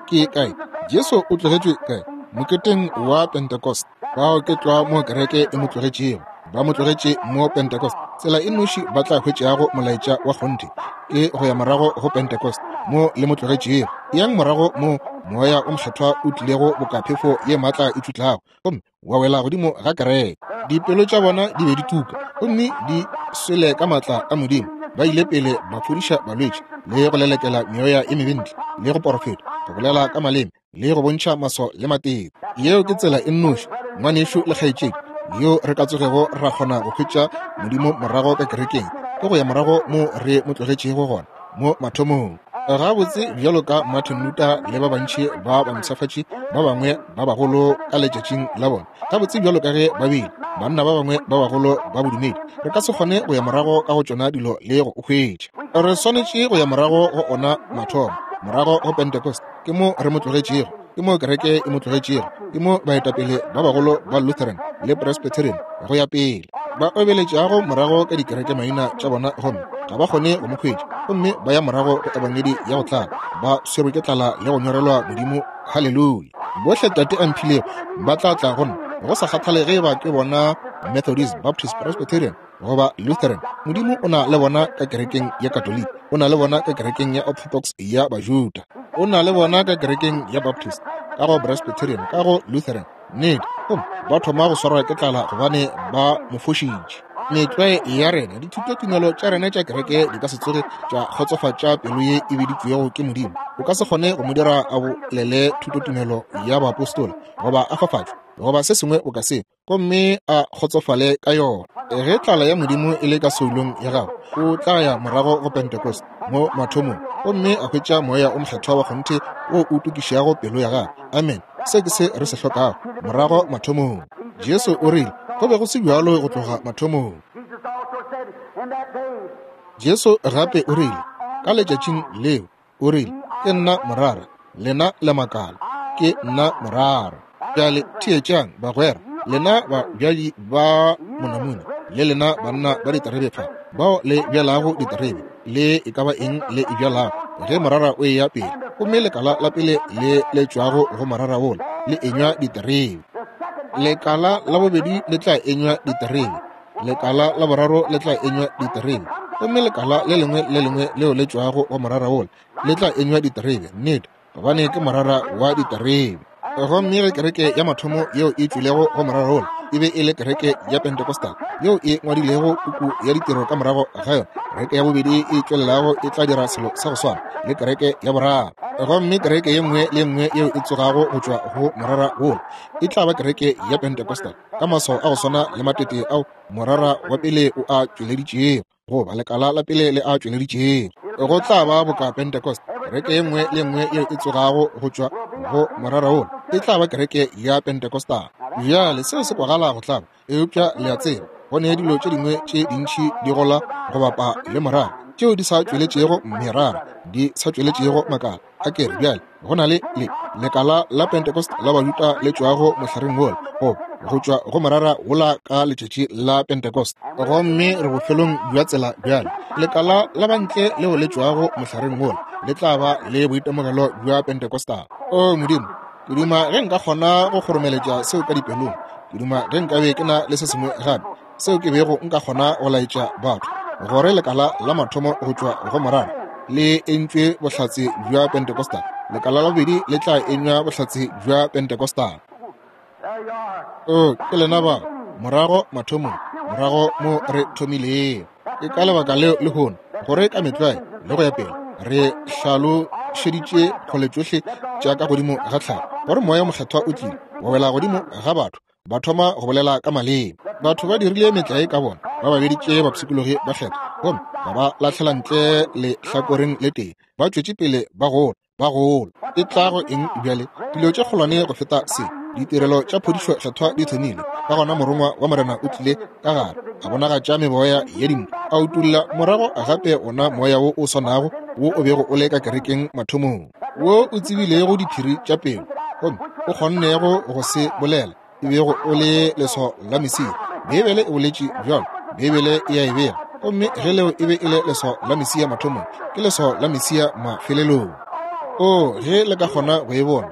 Ke kae? Jesu o tlogetšwe kae? Moketeng wa Pentecost. Bao ke tlwa mo kereke e mo tlogetšego. Ba mo tlogetše mo Pentecost. Tsela e noši ba tla hwetšago molaetša wa kgonthe ke go ya morago go Pentecost, mo le mo tlogetšego. Yang morago mo moya o mokgethwa o tlilego boka phefo ye maatla e tšutlago, gomme wa wela godimo ga kereke. Dipelo tša bona di be di tuka gomme di swele ka maatla a Modimo. Ba ile pele ba fodiša balwetši le go lelekela meoya e mebe ntle, le go porofeta, go bolela ka maleme, le go bontšha maswao le matete. Yeo ke tsela e nnoši, ngwanešu le kgaetšedi, yo re ka tsogego ra kgona go hwetša Modimo morago ka kerekeng, ke go ya morago mo re mo tlogetšego gona mo mathomong. Gabotse bjalo ka Martin Luther le ba bantši ba bampshafatši ba bangwe ba bagolo ka letšatšing la bona, gabotse bjalo ka ge ba bile banna ba bangwe ba bagolo ba bodumedi, re ka se kgone go ya morago ka go tšona dilo le go hwetša. Re swanetše go ya morago go ona mathomo, morago go Pentecost. Ke mo re mo tlogetšego, ke mo kereke e mo tlogetšego, ke mo baetapele ba bagolo ba Lutheran le Presbyterian go ya pele ba obeletšago morago ka dikereke maina tša bona, gomme ga ba kgone go mo hwetša, gomme ba ya morago go ebangedi ya go tlala, ba swerwe ke tlala le go nyorelwa Modimo. Haleluya! Bohle Tate a mphilego ba tla tla go nna, go sa kgathale ge ba ke bona Methodist, Baptist, Presbyterian goba Lutheran. Modimo o na le bona ka kerekeng ya Katoliki, o na le bona ka kerekeng ya Orthodox ya Bajuda, o na le bona ka kerekeng ya Baptist, ka go Presbyterian, ka go Lutheran. Nnete, gomme ba thoma go swarwa ke tlala gobane ba mo fošitše. Metlwae ya rena, dithutotumelo tša rena tša kereke di ka se tsoge tša kgotsofatša pelo ye e biditšwego ke Modimo. O ka se kgone go mo dira a bolele thutotumelo ya baapostola goba a fafatšwe goba se sengwe o ka se, gomme a kgotsofale ka yona. Ge tlala ya Modimo e le ka soulong ya gago, o tla ya morago go Pentecost mo mathomong, gomme a hwetša moya o mokgethwa wa kgonthe wo o tukišago pelo ya gagwe. Amen. Se ke se re se hlokago, morago mathomong. Jesu o rile go be go se bjalo go tloga mathomong. Jesu gape o rile ka letšatšing leo, o rile, ke nna morara, lena le makala, ke nna morara. Bjale theetšang bagwera, lena babjadi ba monamune le lena banna ba diterebe fa, bao le bjalago diterebe le e ka ba eng le e bjalago, ge morara o eya pele, gomme lekala la pele le le tšwago go morara wola le enywa diterebe, lekala la bobedi le tla enywa diterebe, lekala la boraro le tla enywa diterebe, gomme lekala le lengwe le lengwe leo le tšwago go morara wola le tla enywa diterebe. Nnete, gobane ke morara wa diterebe. Gomme ge kereke ya mathomo yeo e tšwilego go morara wola e be e le kereke ya Pentecostal yeo e ngwadilego puku ya ditiro ka morago ga yona, kereke ya bobedi e tšwelelago e tla dira selo sa go swana le kereke ya boraro. Gomme kereke ye nngwe le nngwe yeo e tsogago go tšwa go morara wola e tla ba kereke ya Pentecostal ka maswao a go swana le matete ao morara wa pele o a tšweleditšego, goba lekala la pele le a tšweleditšego. Go tla ba boka Pentecost. Kereke ye nngwe le nngwe yeo e tsogago go tšwa go morara wola e tla ba kereke ya Pentecostal. Bjale seo se kwagala go tlaba, eupša le a tseba go ne dilo tše dingwe tše dintši di gola go bapa le morara tšeo di sa tšweletšego merara, di sa tšweletšego makala. A kere bjale go na le le lekala la Pentecost la Bajuda le tšwago mohlareng wola, goba go tšwa go morara wola ka letšatši la Pentecost. Gomme re bofelong bja tsela bjale. Lekala la bantle leo le tšwago mohlareng wola le tla ba le boitemogelo bja Pentecostal. O Modimo, ke duma ge nka kgona go kgoromeletša seo ka dipelong. Ke duma ge nka be ke na le se sengwe gape seo ke bego nka kgona go laetša batho gore lekala la mathomo go tšwa go morara le entšwe bohlatse bja Pentecostal, lekala la bobedi le tla enywa bohlatse bja Pentecostal. O ke lena ba morago mathomong, morago mo re thomilego. Ke ka lebaka leo lehono gore ka metlwae le go ya pele re hlalošeditše kgole tšohle tša ka godimo ga tlhago, gore moya mokgethwa o tlile wa wela godimo ga batho Ba thoma go bolela ka maleme. Batho ba dirile metlae ka bona, ba ba beditše bapshikologi ba kgethwa, gomme ba ba lahlela ntle lehlakoreng le tee. Ba tšwetše pele ba gola, ba gola. E tla go eng bjale? Dilo tše kgolwane go feta se. Ditirelo tša phodišo kgethwa di thomile. Ka gona morongwa wa Morena o tlile ka gare, a bonagatša meboya ya dintwa, a utolla morago gape ona moya wo o swanago wo o bego o le ka kerekeng mathomong, wo o tsebilego diphiri tša pelo, gomme o kgonnego go se bolela, e bego o le leswao la Mesia. Beibele e boletše bjalo, Beibele e a e bega. Gomme ge leo e be e le leswao la Mesia mathomong, ke leswao la Mesia mafelelong. O ge le ka kgona go e bona,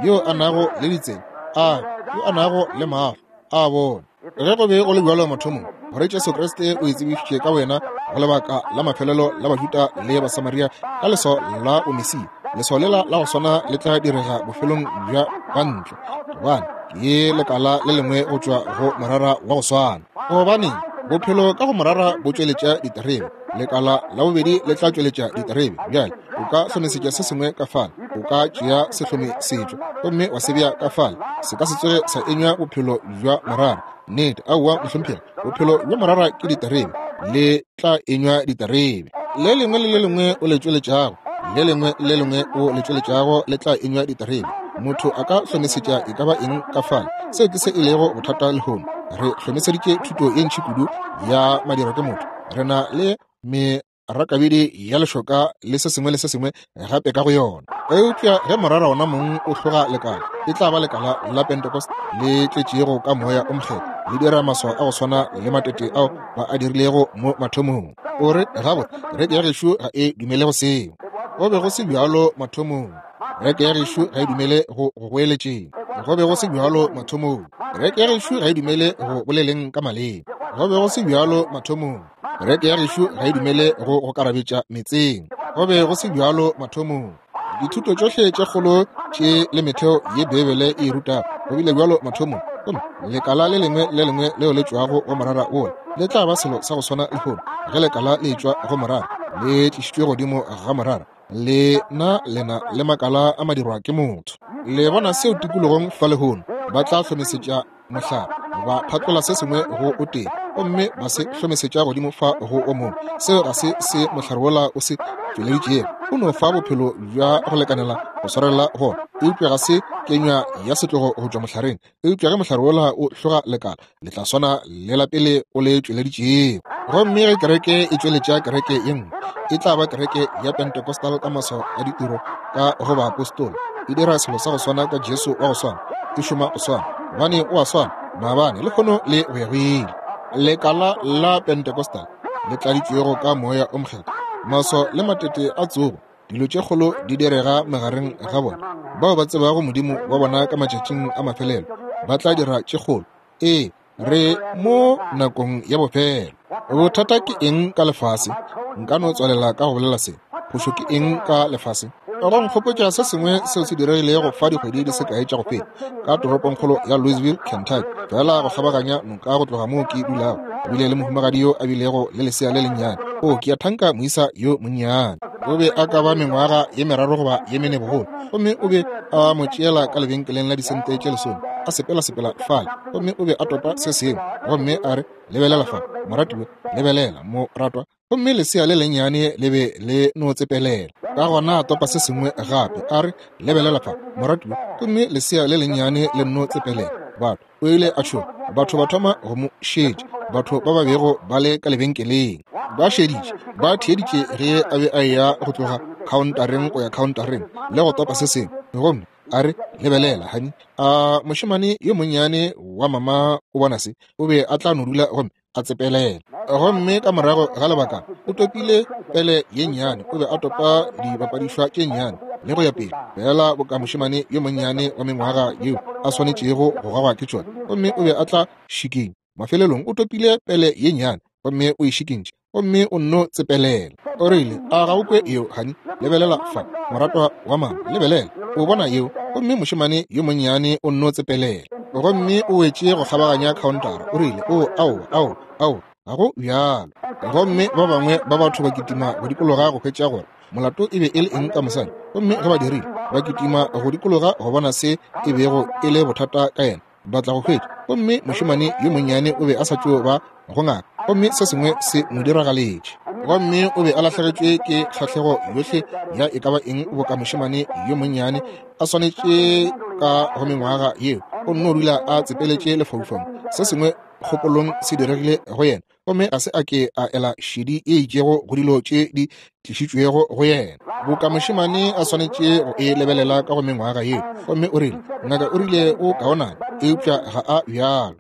yo a nago le ditsebe, a yo a nago le mahlo, a bone. Ge go be go le bjalo mathomong, gore Jesu Kriste o itsebišitše ka wena go lebaka la mafelelo la Bajuda le Basamaria ka leswao la Bomesia, leswao lela la go swana le tla direga bofelong bja bantle, gobane ke lekala le lengwe go tšwa go morara wa go swana. Gobane bophelo ka go morara bo tšweletša diterebe, lekala la bobedi le tla tšweletša diterebe. Bjale o ka hlomesetša se sengwe ka fale, o ka tšea sehlomesetšo gomme wa se bea ka fale, se ka se tsoge sa enywa bophelo bja morara. Nnete, aowa mohlomphegi, bophelo bja morara ke diterebe, le tla enywa diterebe. Le lengwe le le lengwe o le tšweletšago, le lengwe le lengwe o le tšweletšago le tla enywa diterebe. Motho a ka hlomesetša e ka ba eng ka fale. Seo ke se e lego bothata lehono. Re hlomeseditše thuto ye ntši kudu ya madira ke motho. Re na le merakabedi ya lešoka le se sengwe le se sengwe gape ka go yona. Eupša ge morara ona mong o hloga lekala, e tla ba lekala la Pentecost le tletšego ka moya o mokgethwa, le dira maswao a go swana le matete ao ba a dirilego mo mathomong. O re, gabotse, kereke ya gešo ga e dumele go seo. Go be go se bjalo mathomong. Kereke ya gešo ga e dumele go go goeletšeng. Go be go se bjalo mathomong. Kereke ya gešo ga e dumele go boleleng ka maleme. Go be go se bjalo mathomong. Kereke ya gešo ga e dumele go go karabetša metseng. Go be go se bjalo mathomong. Dithuto tšohle tše kgolo tše le metheo ye Beibele e rutago go bile bjalo mathomong. Gomme lekala le lengwe le lengwe leo le tšwago go morara wola le tla ba selo sa go swana lehono. Ge lekala le tšwa go morara, le tlišitšwe godimo ga morara, le na lena le makala a madirwa ke motho. Le bona seo tikologong fa lehono, ba tla hlomesetša mohlare, ba phatlola se sengwe go o tee, gomme ba se hlomesetša godimo fa go o mongwe. Seo ga se se mohlare wola o se tšweleditšego. O no fa bophelo bja go lekanela go swarela gona, eupša ga se kenywa ya setlogo go tšwa mohlareng. Eupša ge mohlare wola o hloga lekala, le tla swana le la pele o le tšweleditšego. Gomme ge kereke e tšweletša kereke ye nngwe, e tla ba kereke ya Pentecostal ka maswao a ditiro ka go baapostola. E dira selo sa go swana ka Jesu wa go swana, e šoma go swana, gobane o a swana maabane, lehono le go ya go ile. Lekala la Pentecostal le tladitšwego ka moya o mokgethwa, maswao le matete a tsogo, dilo tše kgolo di direga magareng ga bona. Bao ba tsebago Modimo wa bona ka matšatšing a mafelelo ba tla dira tše kgolo. Ee, re mo nakong ya bofelo. Bothata ke eng ka lefase? Nka no tswalela ka go bolela se. Phošo ke eng ka lefase? Go nkgopotša se sengwe seo se diregilego fa dikgwedi di se kae tša go feta ka toropongkgolo ya Louisville, Kentucky, fela go kgabaganya noka go tloga moo ke dulago. Go bile le mohumagadi yo a bilego le lesea le lennyane. O ke a thanka moisa yo monnyane. O be a ka ba mengwaga ye meraro goba ye mene bogolo, gomme o be a mo tšeela ka lebenkeleng la disente tše lesome, a sepela-sepela fale, gomme o be a topa se sengwe, gomme a re, lebelela fa, moratiwa, lebelela, moratwa. Gomme lesea le lennyane le be le no tsepelela. Ka gona a topa se sengwe gape, a re, lebelela fa, moratiwa, gomme lesea le lennyane le no tsepelela. Batho, o ile a tšhoga. Batho ba thoma go mo šetša, batho ba ba bego ba le ka lebenkeleng ba šeditše, ba theeditše ge a be a eya go tloga khaontareng go ya khaontareng le go topa se sengwe. Gomme a re, lebelela, honey, a mošemane yo monnyane wa mama o bona se, o be a tla no dula gomme a tsepelela. Gomme ka morago ga lebaka o topile pele ye nnyane, o be a topa dibapadišwa tše nnyane le go ya pele, fela boka mošemane yo monnyane wa mengwaga yeo a swanetšego go gagwa ke tšona. Gomme o be a tla šikinya. Mafelelong o topile pele ye nnyane gomme o e šikintše, gomme o nno tsepelela. O rile, a ga o kwe yeo, honey? Lebelela fa, moratwa wa mama, lebelela, o bona yeo? Gomme mošemane yo monnyane o nno tsepelela. Gomme o wetše go kgabaganya khaontara. O rile, o, aowa, aowa, aowa, ga go bjalo. Gomme ba bangwe ba batho ba kitima go dikologa go hwetša gore molato e be e le eng ka mosadi. Gomme ge ba dirile, ba kitima go dikologa go bona se e bego e le bothata ka yena. ba tla go hwetša. Gomme mošemane yo monnyane o be a sa tšo ba go ngaka, gomme se sengwe se mo diragaletše. Gomme o be a lahlegetšwe ke kgahlego yohle ya e ka ba eng boka mošemane yo monnyane a swanetše ka go mengwaga yeo. O nno dula a tsepeletše lefaufaung. Se sengwe kgopolong se diregile go yena, gomme ga se a ke a ela šedi e itšego go dilo tše di tlišitšwego go yena. Boka mošemane a swanetše go e lebelela ka go mengwaga yeo. Gomme o rile, ngaka o rile o kaonana, eupša ga a bjalo.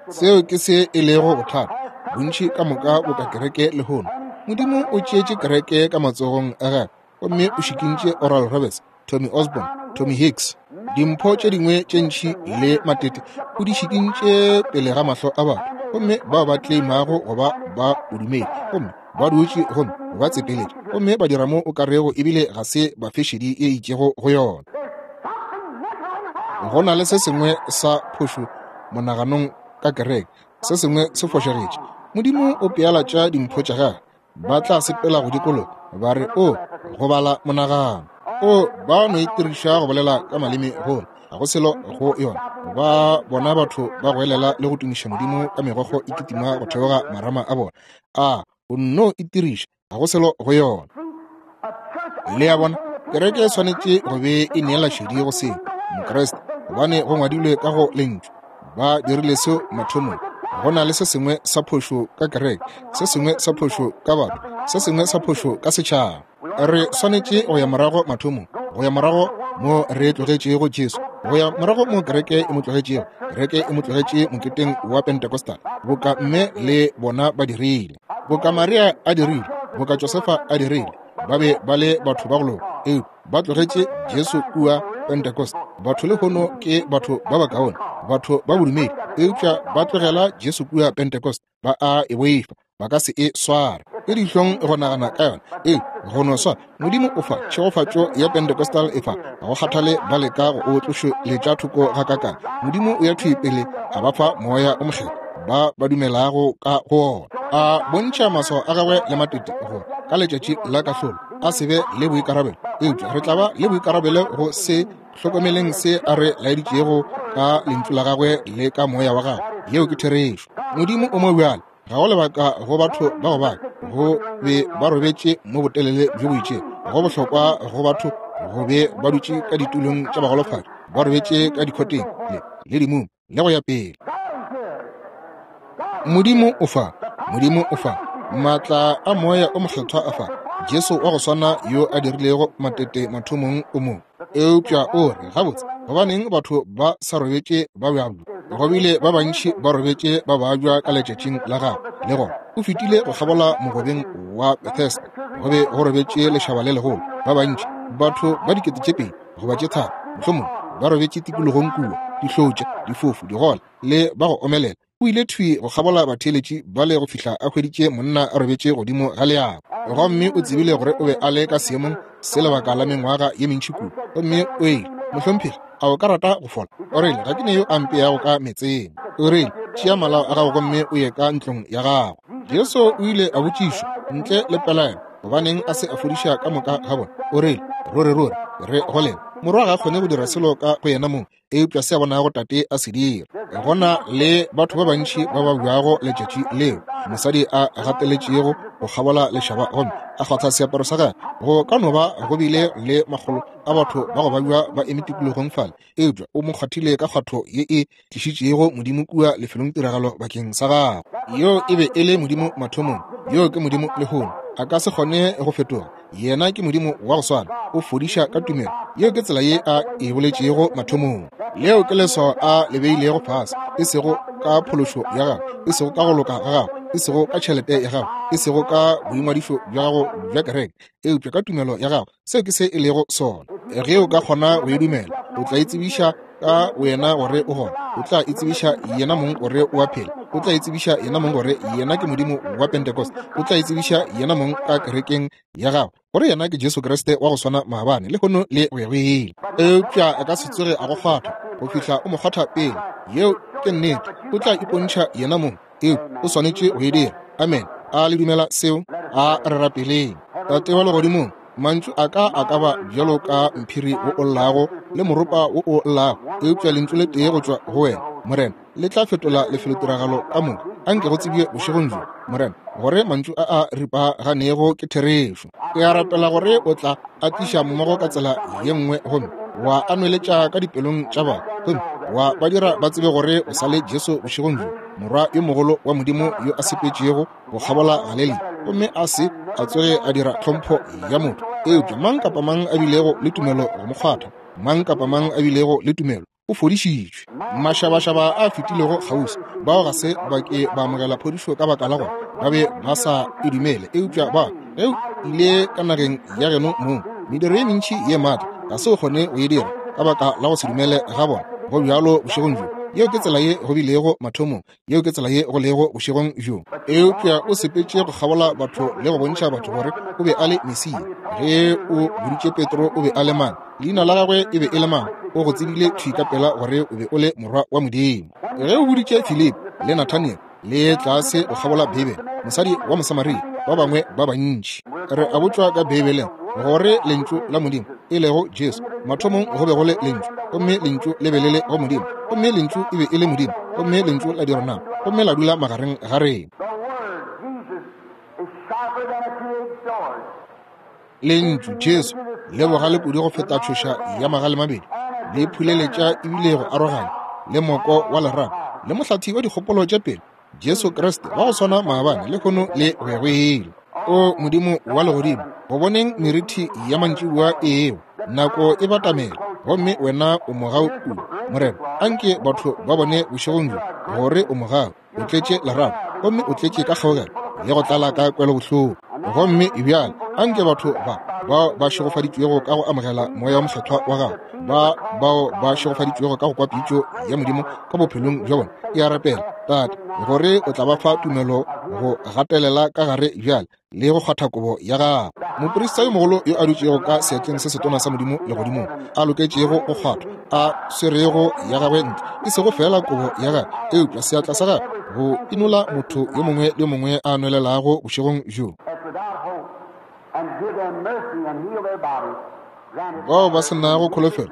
Seo ke se e lego bothata bontši ka moka boka kereke lehono. Modimo o tšeetše kereke ka matsogong a gagwe, gomme o šikintše Oral Roberts, Tommy Osborne, Tommy Hicks, dimpho tše dingwe tše ntši le matete, o di šikintše pele ga mahlo a batho, gomme bao ba tleimago go ba ba bodumedi, gomme ba dutše gomme ba tsepeletše, gomme ba dira mo o ka rego ebile ga se ba fešedi e itšego go yona. Go na le se sengwe sa phošo monaganong ka kereke, se sengwe se fošagetše. Modimo o pealatša dimpho tša gagwe, ba tla sepela go dikologa ba re o go bala monagano. O ba no itiriša go bolela ka maleme gola, ga go selo go yona. Ba bona batho ba goelela le go tumiša Modimo ka megokgo e kitima go theoga marama a bona. A o nno itiriša, ga go selo go yona. Le a bona, kereke e swanetše go be e neela šedi go seo Mokriste, gobane go ngwadilwe ka go lentšu. Ba dirile seo mathomong. Go na le se sengwe sa phošo ka kereke, se sengwe sa phošo ka batho, se sengwe sa phošo ka setšhaba. Re swanetše go ya morago mathomong, go ya morago mo re tlogetšego Jesu, go ya morago mo kereke e mo tlogetšego. Kereke e mo tlogetše moketeng wa Pentecostal, boka mme le bona ba dirile, boka Maria a dirile, boka Josefa a dirile. Ba be ba le batho ba go loka, eupša ba tlogetše Jesu kua Pentecost. Batho lehono ke batho ba bakaone, batho ba bodumedi, eupša ba tlogela Jesu kua Pentecost. Ba a e boifa, ba ka se e sware. Ke dihlong go nagana ka yona, ee, go no swana. Modimo o fa tšhegofatšo ya Pentecostal e fa, ga go kgathale ba leka go o tlošeletša thoko ga kakang. Modimo o ya thwi pele a ba fa moya o mokgethwa ba ba dumelago ka go ona. A bontšha maswao a gagwe le matete gore ka letšatši la kahlolo a se be le boikarabelo, eupša re tla ba le boikarabelo go se hlokomeleng se a re laeditšego ka lentšu la gagwe le ka moya wa gagwe. Yeo ke therešo. Modimo o mo bjale, ga go lebaka go batho ba go baka go be ba robetše mo botelele bjo bo itšego. Go bohlokwa go batho go be ba dutše ka ditulong tša bagolofadi, ba robetše ka dikhoteng le le dimung le go ya pele. Modimo o fa, Modimo o fa maatla a moya o mokgethwa a fa. Jesu wa go swana yo a dirilego matete mathomong o mo. Eupša o re, gabotse, gobaneng batho ba sa robetše ba bjabja? Go bile ba bantši ba robetše ba babja ka letšatšing la gagwe. Le gona o fetile go kgabola mogobeng wa Bethesda, go be go robetše lešaba le legolo, ba bantši, batho ba dikete tše pedi goba tše tharo mohlomongwe, ba robetše tikologong kua, dihlotša, difofu, digola le ba go omelela. O ile thwi go kgabola batheeletši bale go fihla a hweditše monna a robetše godimo ga leago, gomme o tsebile gore o be a le ka seemong se lebaka la mengwaga ye mentši kudu. Gomme o ile, mohlomphegi, a o ka rata go fola? O rile, ga ke ne yo a mpeago ka meetseng. O rile, tšea malao a gago gomme o ye ka ntlong ya gago. Jesu o ile a botšišwa ntle le pelaelo gobaneng a se a fodiša ka moka ga bona. O rile, ruri ruri re go lena, morwa ga a kgone go dira selo ka go yena mong, eupša se a bonago tate a se dira. Go na le batho ba bantši ba ba bjago letšatši leo mosadi a gateletšego go kgabola lešaba gomme a kgwatha seaparo sa gagwe. Go ka no ba go bile le makgolo a batho ba go babja ba eme tikologong fale, eupša o mo kgwathile ka kgwatho ye e tlišitšego Modimo kua lefelongtiragalo bakeng sa gagwe. Yo e be e le Modimo mathomong, yo ke Modimo lehono. A ka se kgone go fetoga. Yena ke Modimo wa go swana, o fodiša ka tumelo. Yeo ke tsela ye a e boletšego mathomong. Leo ke leswao a le beilego fase, e sego ka phološo ya gago, e sego ka go loka ga gago, e sego ka tšhelete ya gago, e sego ka boingwadišo bja gago bja kereke, eupša ka tumelo ya gago. Seo ke se e lego sona. Ge o ka kgona go e dumela, o tla itsebiša ka wena gore o gona. O tla itsebiša yena mong gore o a phela. O tla itsebiša yena mong gore yena ke Modimo wa Pentecost. O tla itsebiša yena mong ka kerekeng ya gago gore yena ke Jesu Kriste wa go swana maabane, lehono le go ya go ile. Eupša a ka se tsoge a go kgwatha go fihla o mo kgwatha pele. Yeo ke nnete. O tla ipontšha yena mong, eupša o swanetše go e dira. Amen. A le dumela seo? A re rapeleng. Tate wa legodimong, mantšu a ka a ka ba bjalo ka mphiri wo o llago le moropa wo o llago, eupša lentšu le tee go tšwa go wena, Morena, le tla fetola lefelotiragalo ka moka. Anke go tsebje bošegong bjo, Morena, gore mantšu a a ripaganego ke therešo. Ke a rapela gore o tla a tliša mmogo ka tsela ye nngwe gomme wa a nweletša ka dipelong tša batho, gomme wa ba dira ba tsebe gore o sa le Jesu bošegong bjo, Morwa yo mogolo wa Modimo yo a sepetšego go kgabola Galilea, gomme a se a tsoge a dira tlhompho ya motho, eupša mang kapa mang a bilego le tumelo go mo kgwatha, mang kapa mang a bilego le tumelo o fodišitšwe. Mašabašaba a fetilego kgauswi, bao ga se ba ke ba amogela phodišo ka baka la gore ba be ba sa e dumele, eupša ba ge o ile ka nageng ya geno mong, mediro ye mentši ye maatla ga se o kgone go e dira ka baka la go se dumele ga bona. Go bjalo bošegong bjo. Yeo ke tsela ye go bilego mathomong, yeo ke tsela ye go lego bošegong bjo. Eupša o sepetše go kgabola batho le go bontšha batho gore o be a le Mesia. Ge o boditše Petro o be a le mang, leina la gagwe e be e le mang, o go tsebile thwi ka pela gore o be o le morwa wa Modimo. Ge o boditše Filipi le Nathaniel le tlase go kgabola Beibele, mosadi wa Mosamaria, ba bangwe ba bantši, re a botšwa ka Beibeleng gore lentšu la Modimo e lego Jesu, mathomong go be go le lentšu, gomme lentšu le be le le go Modimo, gomme lentšu e be e le Modimo, gomme lentšu la dira nama, gomme la dula magareng ga rena. Lentšu Jesu le bogale kudu go feta tšhoša ya magale mabedi, le phuleletša ebile go aroganya le moko wa lerato le mohlathi wa dikgopolo tša pele, Jesu Kriste wa go swana maabane le lehono le go ya go ile. O Modimo wa legodimo, go boneng merithi ya mantšiboa eo, nako e batamela, gomme wena o mogau kudu. Morena, anke batho ba bone bošegong bjo gore o mogau, o tletše lerato, gomme o tletše ka kgaogelo le go tlala ka kwelobohloko. Gomme bjale anke batho ba bao ba šegofaditšwego ka go amogela moya wa mokgethwa wa gago, ba bao ba šegofaditšwego ka go kwa pitšo ya Modimo ka bophelong bja bona, ke a rapela, Tate, gore o tla ba fa tumelo go gatelela ka gare bjale le go kgwatha kobo ya gago. Moprista yo mogolo yo a dutšego ka seatleng se setona sa Modimo legodimong, a loketšego go kgwathwa, a swerego ya gagwe ntle, e sego fela kobo ya gagwe, eupša seatla sa gagwe go inola motho yo mongwe le yo mongwe a nwelelago bošegong bjo. Bao ba se nago kholofelo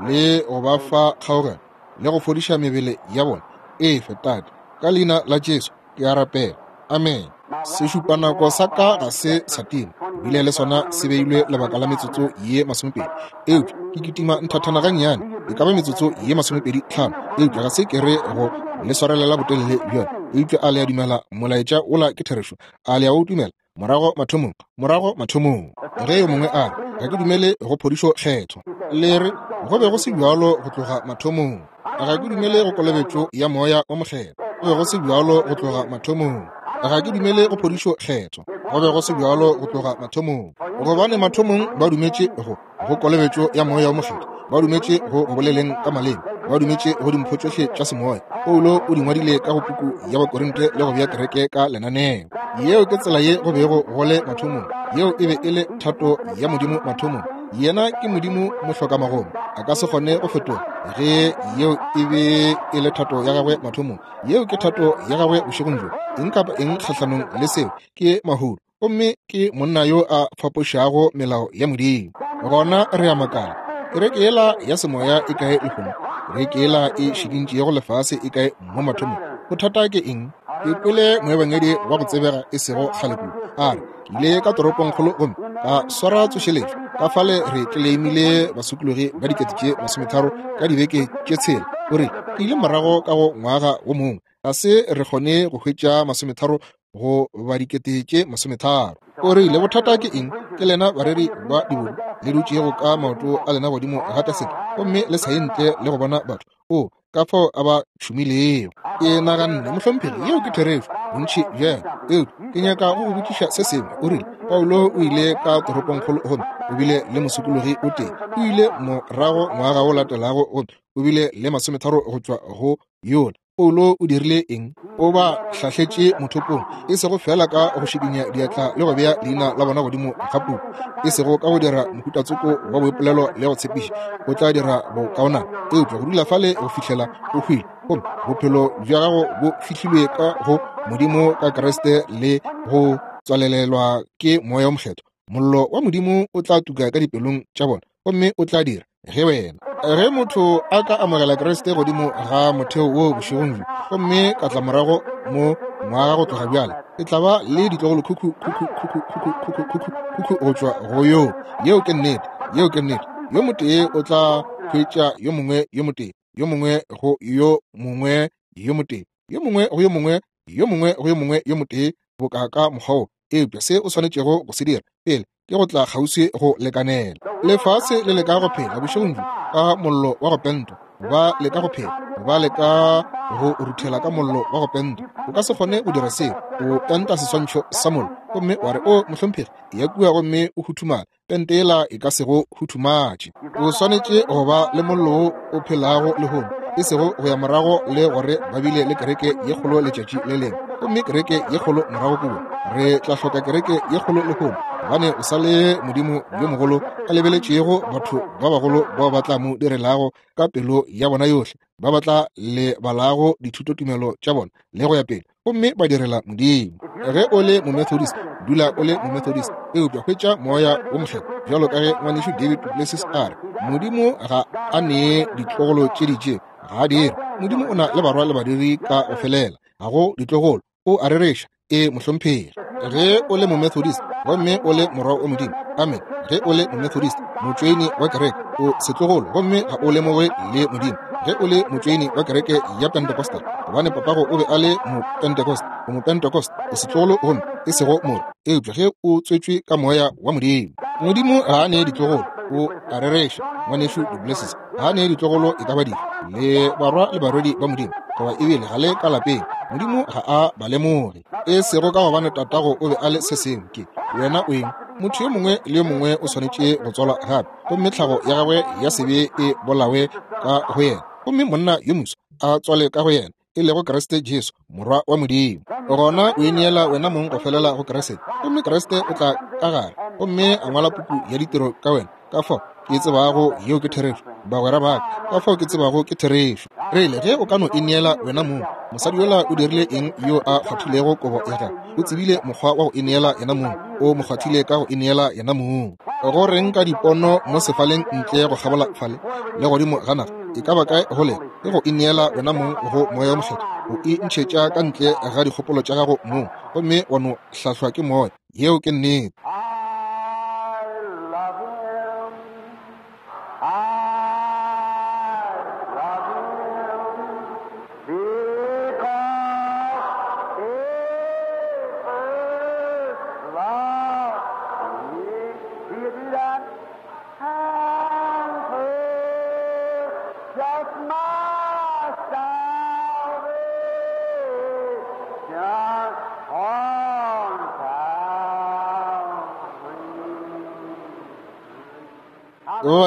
le go ba fa kgaogelo le go fodiša mebele ya bona, efe Tate, ka leina la Jesu ke a rapela, amen. Sešupanako sa ka ga se sa tima, bile le sona se beilwe lebaka la metsotso ye masomepedi, eupša ke kitima nthathana gannyane, e ka ba metsotso ye masomepedi tlhano, eupša ga se ke re go le swarelela botelele bjona. Eupša a le a dumela molaetša ola ke therešo? A le a o dumela? Morago mathomong, morago mathomong. Ge yo mongwe a re, ga ke dumele go phodišo kgetho, le re go be go se bjalo go tloga mathomong. Ga ke dumele go kolobetšo ya moya wa mokgethwa, go be go se bjalo go tloga mathomong. Ga ke dumele go phodišo kgetho, go be go se bjalo go tloga mathomong. Gobane mathomong ba dumetše go go kolobetšo ya moya wa mokgethwa, ba dumetše go go boleleng ka maleme, ba dumetše go dimpho tšohle tša semoya. Paulo o di ngwadile ka go puku ya Bakorinte le go bea kereke ka lenaneo. Yeo ke tsela ye go bego go le mathomong. Yeo e be e le thato ya Modimo mathomong. Yena ke Modimo mohlokamagomo, a ka se kgone go fetoga. Ge yeo e be e le thato ya gagwe mathomong, yeo ke thato ya gagwe bošegong bjo. Eng kapa eng kgahlanong le seo ke mahodu, gomme ke monna yo a fapošago melao ya Modimo. Gona re a makala, kereke yela ya semoya e kae lehono? Kereke yela e šikintšego lefase e kae mo mathomong? Bothata ke eng? Ke kwele moebangedi wa go tsebega e sego kgale kudu a re, ke ile ka toropongkgolo gomme ka swara tsošeletšo, ka fale re tleleimile basokologi ba dikete tše masometharo ka dibeke tše tshela. O re, ke ile morago ka go ngwaga wo mongwe, ga se re kgone go hwetša masometharo go ba dikete tše masometharo. O rile, bothata ke eng? Ke lena bareri ba dibodu le dutšego ka maoto a lena godimo ga taseke, gomme le sa ye ntle le go bona batho. O ka fao a ba tšhomilego. Ke naganne, mohlomphegi, yeo ke therešo bontši bjalo, eupša ke nyaka go go botšiša se sengwe. O rile, Paulo o ile ka toropongkgolo gomme o bile le mosokologi o tee. O ile morago ngwaga o latelago gomme o bile le masometharo go tšwa go yola. Paulo o dirile eng? O ba hlahletše mothopong, e sego fela ka go šikinya diatla le go bea leina la bona godimo ga puku, e sego ka go dira mohutatsoko wa boipolelo le go tshepiša o tla dira bokaonana, eupša go dula fale go fihlela o hwile, gomme bophelo bja gago bo fihlilwe ka go Modimo ka Kriste le go tswalelelwa ke moya o mokgethwa. Mollo wa Modimo o tla tuka ka dipelong tša bona, gomme o tla dira ge wena Ge motho a ka amogela Kriste godimo ga motheo wo bošegong bjo, gomme ka tla morago mo ngwaga go tloga bjale, e tla ba le ditlogolo khukhu khukhu khukhu khukhu khukhu khukhu khukhu go tšwa go yo. Yeo ke nnete, yeo ke nnete. Yo motee o tla hwetša yo mongwe yo motee, yo mongwe go yo mongwe yo motee, yo mongwe go yo mongwe, yo mongwe go yo mongwe yo motee, boka ka mokgwa wo. Eupša se o swanetšego go se dira pele ke go tla kgauswi go lekanela. Lefase le leka go phela bošegong bjo ka mollo wa go pentwa, ba leka go phela, ba leka go ruthela ka mollo wa go pentwa. O ka se kgone go dira seo. O penta seswantšho sa mollo gomme wa re, o mohlomphegi, ya kua gomme o huthumala. Pente yela e ka se go huthumatše. O swanetše go ba le mollo wo o phelago lehono, e sego go ya morago le gore ba bile le kereke ye kgolo letšatši le lengwe, gomme kereke ye kgolo morago kua. Re tla hloka kereke ye kgolo lehono, gobane o sa le Modimo yo mogolo a lebeletšego batho ba bagolo bao ba tla mo direlago ka pelo ya bona yohle, ba ba tla lebalago dithutotumelo tša bona le go ya pele, gomme ba direla Modimo. Ge o le Momethodist, dula o le Momethodist, eupša hwetša Moya wo Mokgethwa, bjalo ka ge ngwanešu David Duplessis a re, Modimo ga a nee ditlogolo tše ditše, ga a dire. Modimo o na le barwa le badiri ka go felela, ga go ditlogolo. O a rereša. E mohlomphegi. Ge o le Momethodist gomme o le morwa wa Modimo, amen. Ge o le Momethodist, motšweini wa kereke, o setlogolo gomme ga o lemoge le Modimo. Ge o le motšweini wa kereke ya Pentecostal, gobane papago o be a le Mopentecost, o Mopentecost, o setlogolo gomme e sego morwa. Eupša ge o tswetšwe ka Moya wa Modimo, Modimo ga a nee ditlogolo, o a rereša. Ngwanešu Duplessis ga a nee ditlogolo e ka ba dife, le barwa le barwedi ba Modimo, goba ebile ga le ka lapeng. Modimo ga a ba lemoge, e sego ka gobane tatago o be a le se sengwe. Ke wena o eng? Motho yo mongwe le yo mongwe o swanetše go tswalwa gape, gomme tlhago ya gagwe ya sebe e bolawe ka go yena, gomme monna yo moswa a tswale ka go yena, e lego Kriste Jesu, morwa wa Modimo. Gona o ineela wena mong go felela go Kriste, gomme Kriste o tla ka gare gomme a ngwala puku ya ditiro ka wena. Ka fao ke tsebago yeo ke therešo, bagwera ba ka, ka fao ke tsebago ke therešo. Rile ge o ka no ineela wena mong, mosadi yola o dirile eng yo a kgwathilego kobo ya gagwe? O tsebile mokgwa wa go ineela yena mong, o mo kgwathile ka go ineela yena mong. Go reng ka dipono mo sefaleng ntle go kgabola fale le godimo ga naga, e ka ba kae go le ke go ineela wena mong go Moya wo Mokgethwa, o e ntšhetša ka ntle ga dikgopolo tša gago mong, gomme wa no hlahlwa ke Moya. Yeo ke nnete.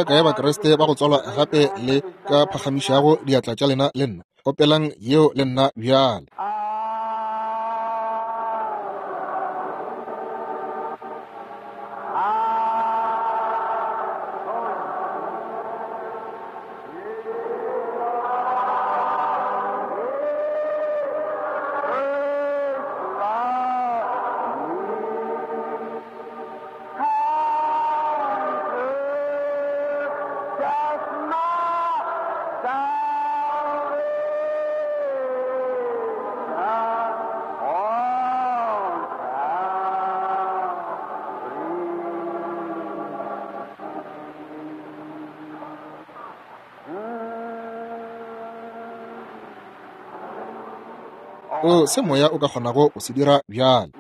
Ba kae Bakriste ba go tswalwa gape le ka phagamišago diatla tša lena le nna? Opelang yeo le nna bjale. O se moya o ka kgonago go se dira bjale.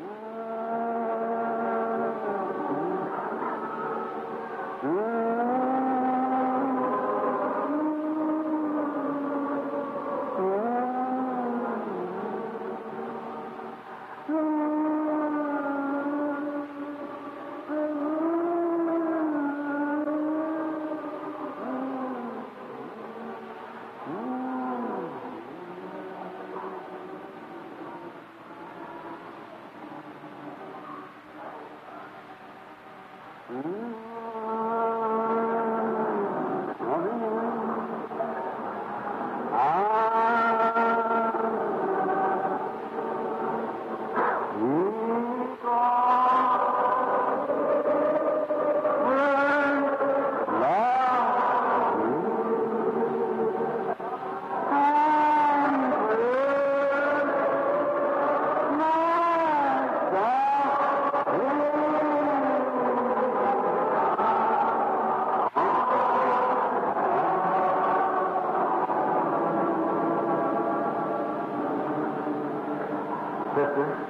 sister,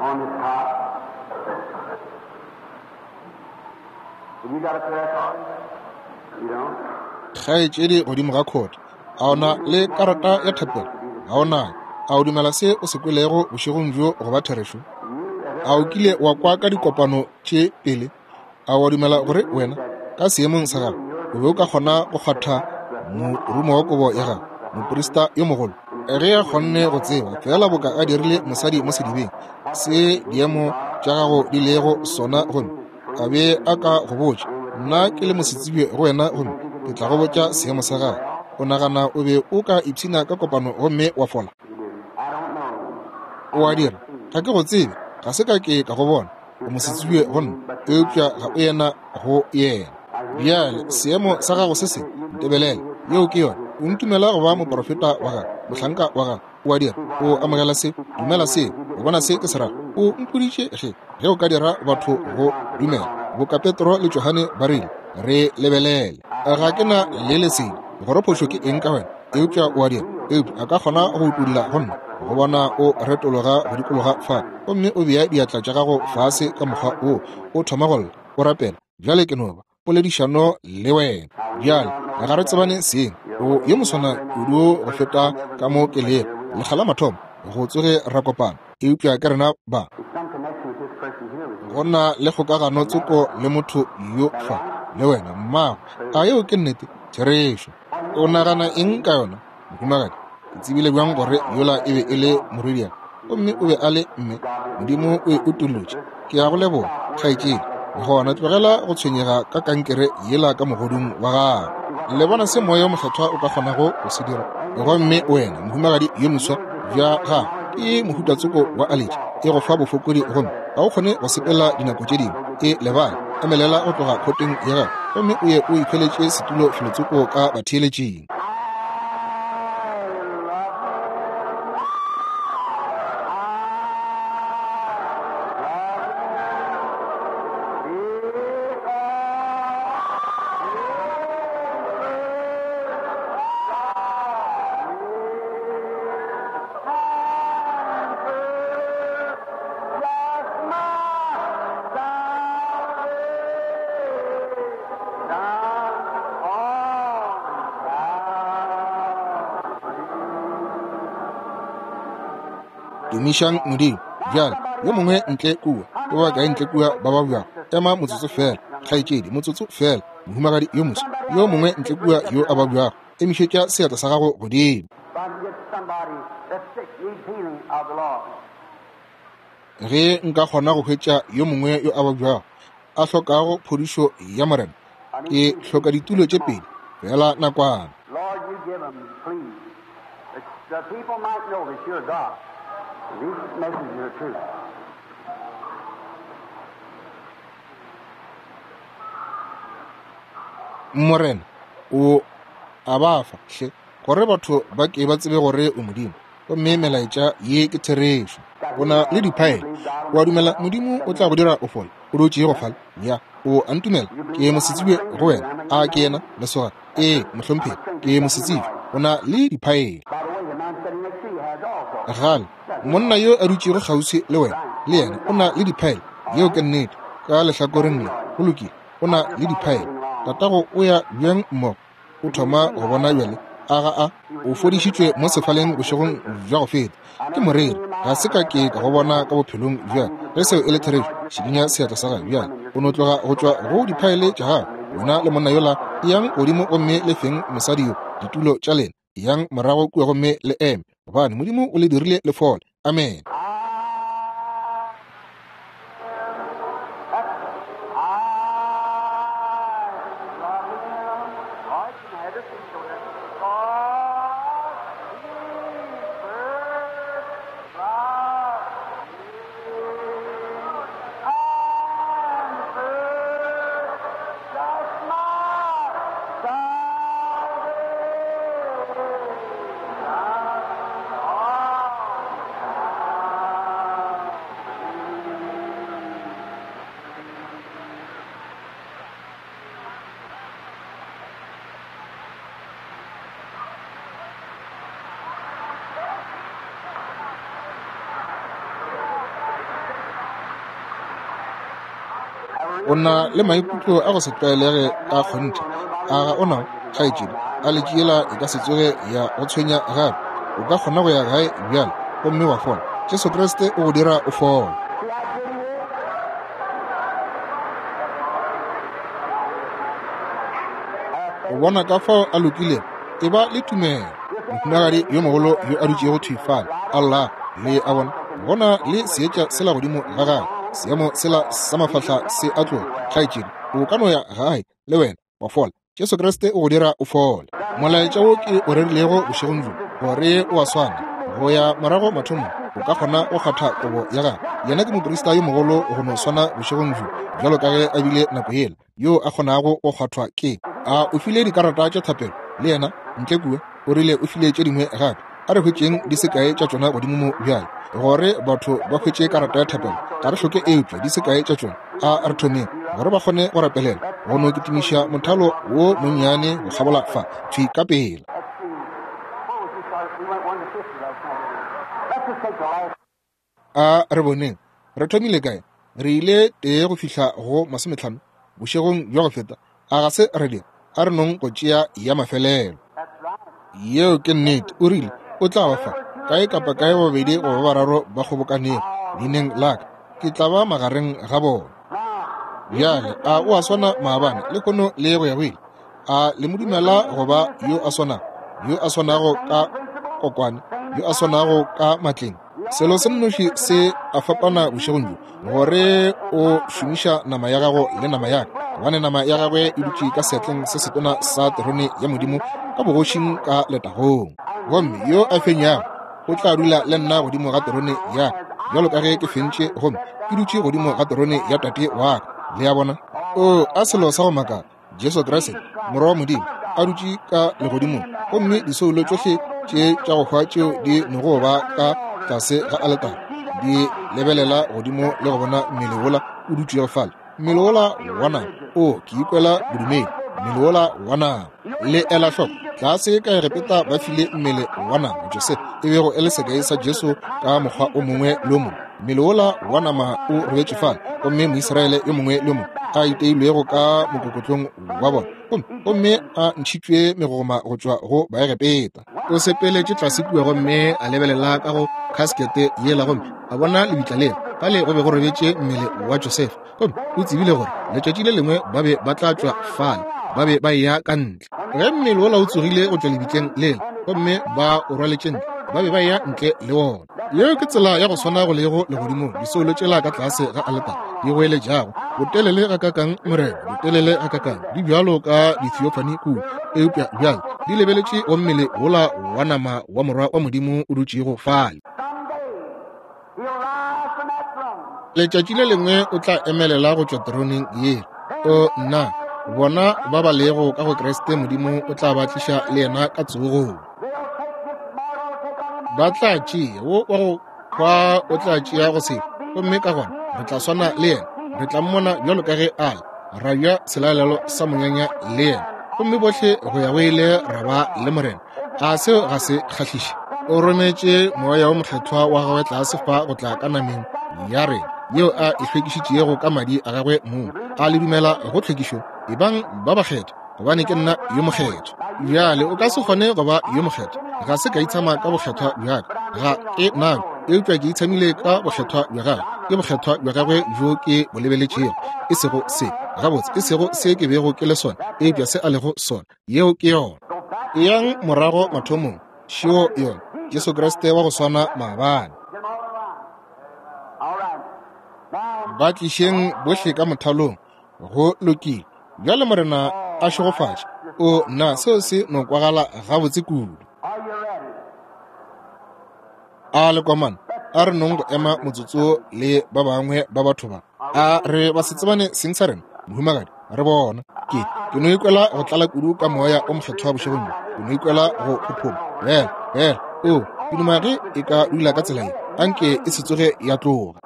on this cot. Have you got a prayer card? You don't? Kgaetšedi godimo ga khota, a o na le karata ya thapelo? Ga o nayo. A o dumela se o se kwelego bošegong bjo go ba therešo? A o kile wa kwa ka dikopano tše pele? A wa dumela gore wena ka seemong sa gago o be o ka kgona go kgwatha morumo wa kobo ya gago, moprista yo mogolo? Ge a kgonne go tseba fela boka a dirile mosadi mo sedibeng se diemo tša gago di lego sona, gomme a be a ka go botša, nna ke le mosetsebje go wena, gomme ke tla go botša seemo sa gago, o nagana o be o ka ipshina ka kopano gomme wa fola? O a dira. Ga ke go tsebe, ga se ka ke ka go bona, o mosetsebje go nna, eupša ga o yena go yena. Bjale seemo sa gago se se ntebelele, yeo ke yona. O ntumela go ba moprofeta wa gago, mohlanka wa gago? O a dira. O amogela se, dumela se, o bona se ke se rago. O mpoditše ge ge o ka dira batho go dumela, boka Petro le Johane ba rile, re lebelele. Ga ke na le lesedi gore phošo ke eng ka wena, eupša o a dira. Eupša a ka kgona go utulla go nna, go bona o retologa go dikologa fa, gomme o bea diatla tša gago fase ka mokgwa wo, o thoma go lla, o rapela. Bjale ke no ba poledišano le wena. Bjale ga re tsebane seng, o yo moswana kudu go feta ka mo ke lego lekga la mathomo go tsoge ra kopana, eupša ke rena ba go na le kgokagano tsoko le motho yo fa le wena mmago. A yeo ke nnete? Therešo. O nagana eng ka yona, mohumagadi? Ke tsebile bjang gore yola e be e le morwediaka, gomme o be a le mme? Modimo o e utolotše. Ke a go leboga, kgaetšedi. Gona tlogela go tshwenyega ka kankere yela ka mogodung wa gago. Le bona se moya o mokgethwa o ka kgonago go se dira? Gomme wena mohumagadi yo moswa, bja gago ke mohutatsoko wa aletši, e go fa bofokodi gomme ga o kgone go sepela dinako tše dingwe. E lebale, emelela go tloga khoteng ya gago gomme o ye o ikhweletše setulo felotsoko ka batheeletšing. Tumišang Modimo. Bjale yo mongwe ntle kua, ke ba kae ntle kua ba ba bjago? Ema motsotso fela, kgaetšedi, motsotso fela, mohumagadi yo moswa. Yo mongwe ntle kua yo a ba bjago, emišetša seatla sa gago godimo. Ge nka kgona go hwetša yo mongwe yo a ba bjago a hlokago phodišo ya Morena, ke hloka ditulo tše pedi fela nakwana. These messages are true. Morena o a ba fa hle gore batho ba ke ba tsebe gore o Modimo, gomme melaetša ye ke therešo. O na le diphaele, o a dumela Modimo o tla go dira o fole? O dutše go fale ya, o a ntumela? Ke mosetsebje go wena. A ke yena lesogana? Ee, mohlomphegi, ke mosetsebje. O na le diphaele. Gale monna yo a dutšego kgauswi le wena le yena o na le diphaele. Yeo ke nnete. Ka lehlakoreng le, go lokile, o na le diphaele. Tatago o ya bjang mmogo? O thoma go bona bjale. A ga a o fodišitšwe mo sefaleng bošegong bja go feta ke moreri. Ga se ka ke ka go bona ka bophelong bjale. Ge seo e le therešo, šikinya seatla sa gago bjale. O no tloga go tšwa go diphaele tša gago. Wena le monna yola yang godimo gomme le feng mosadi yo ditulo tša lena. Yang morago kua gomme le eme, gobane Modimo o le dirile le fole. Amen. O na le maikutlo a go se tlwaelege ka kgonthe. A ga o nao, kgaetšedi? A letšiela e ka se tsoge ya go tshwenya gape. O ka kgona go ya gae bjale gomme wa fola. Jesu Kriste o go dira o fole. O bona ka fao a lokilego, e ba le tumelo. Mohumagadi yo mogolo yo a dutšego thwi fale, Allah, le a bona, bona le seetša sela godimo ga gagwe, seemo sela sa mafahla se a tloga. Kgaetšedi, o ka no ya gae le wena wa fola. Jesu Kriste o go dira o fole. Molaetša wo ke o rerilego bošegong bjo, gore o a swana go ya morago mathomong, o ka kgona go kgatha kobo ya gagwe. Yena ke moprista yo mogolo go no swana bošegong bjo bjalo ka ge a bile nako yela, yo a kgonago go kgwathwa ke. A o file dikarata tša thapelo le yena ntle kua? O rile o file tše dingwe gape. A re hwetšeng di se kae tša tšona godimo mo bjale, gore batho ba hwetše karata ya thapelo. Ga re hloke eupša di se kae tša tšona. A re thomeng gore ba kgone go rapelela, go no kitimiša mothalo wo monnyane go kgabola fa thwi ka pela. A re boneng re thomile kae. Re ile tee go fihla go masometlhano bošegong bja go feta. A ga se re dira? A re nong go tšea ya mafelelo. Yeo ke nnete. O rile o tla ba fa kae kapa kae babedi goba bararo ba kgobokanego leineng la ka, ke tla ba magareng ga bona. Bjale a o a swana maabane le kono le go ya go ile? A le mo dumela go ba yo a swanago, yo a swanago ka kokwane, yo a swanago ka matleng? Selo se nnoši se a fapana bošegong bjo, gore o šomiša nama ya gago le nama ya ka, gobane nama ya gagwe e dutše ka seatleng se setona sa terone ya Modimo ka bogošing ka letagong. Gomme yo a fenyago o tla dula le nna godimo ga terone ya ka, bjalo ka ge ke fentše gomme ke dutše godimo ga terone ya Tate wa ka. Le a bona? O a selo sa go makala, Jesu Kriste Morwa wa Modimo a dutše ka legodimong, gomme disoulo tšohle tše tša go hwa tšeo di nogo ba ka tlase ga aletare di lebelela godimo le go bona mmele wola o dutšego fale, mmele wola wa nama. O ke ikwela bodumedi, mmele wola wa nama. Le ela hloko, tlase ka Egepeta ba file mmele wa nama Josefa, e bego e le sekai sa Jesu ka mokgwa o mongwe le o mongwe. Mmele wola wa nama o robetše fale, gomme Moisraele yo mongwe le yo mongwe a iteilwego ka mokokotlong wa bona, gomme gomme a ntšhitšwe megogoma go tšwa go Baegepeta. O sepeletše tlase kua gomme a lebelela ka go khaskete yela, gomme a bona lebitla lela fale go be go robetše mmele wa Josefa, gomme o tsebile gore letšatši le lengwe ba be ba tla tšwa fale, ba be ba eya ka ntle. Ge mmele wola o tsogile go tšwa lebitleng lela gomme ba o rwaletše ntle, ba be ba eya ntle le wona. Yeo ke tsela ya go swana go lego legodimong, disoulo tšela ka tlase ga aletare di goeletšago, botelele ga kakang Morena, botelele ga kakang, di bjalo ka dithiofani kua, eupša bjale di lebeletše go mmele wola wa nama wa Morwa wa Modimo o dutšego fale. Letšatši le lengwe o tla emelela go tšwa teroneng ye. O nna, bona ba ba lego ka go Kriste Modimo o tla ba tliša le yena ka tsogong. Ba tla tšea wo wa go hwa, o tla tšea go se, gomme ka gona re tla swana le yena, re tla mmona bjalo ka ge a le, ra ja selalelo sa monyanya le yena, gomme bohle go ya go ile ra ba le Morena. A seo ga se kgahliše? O rometše moya wo mokgethwa wa gagwe tlase fa go tla ka nameng ya rena, yeo a e hlwekišitšego ka madi a gagwe mong. A le dumela go tlhwekišo? Ebang ba bakgethwa, gobane ke nna yo mokgethwa. Bjale o ka se kgone go ba yo mokgethwa. Ga se ka itshama ka bokgethwa bja ka, ga ke nabo, eupša ke itshamile ka bokgethwa bja gagwe. Ke bokgethwa bja gagwe bjo ke bo lebeletšego, e sego se gabotse, e sego se ke bego ke le sona, eupša se a lego sona. Yeo ke yona. Eyang morago mathomong, šeo yona, Jesu Kriste wa go swana maabane. Ba tlišeng bohle ka mothalong. Go lokile. Bjale Morena a šegofatše. O nna, seo se no kwagala gabotse kudu. A le komana, a re nong go ema motsotso le ba bangwe ba batho ba. A re ba se tsebane seng sa rena, mohumagadi, re bona. Ke ke no ikwela go tlala kudu ka moya o mokgethwa bošegong bjo. Ke no ikwela go phophoma. Bjale, bjale, o, ke duma ge e ka dula ka tsela ye, anke e se tsoge ya tloga.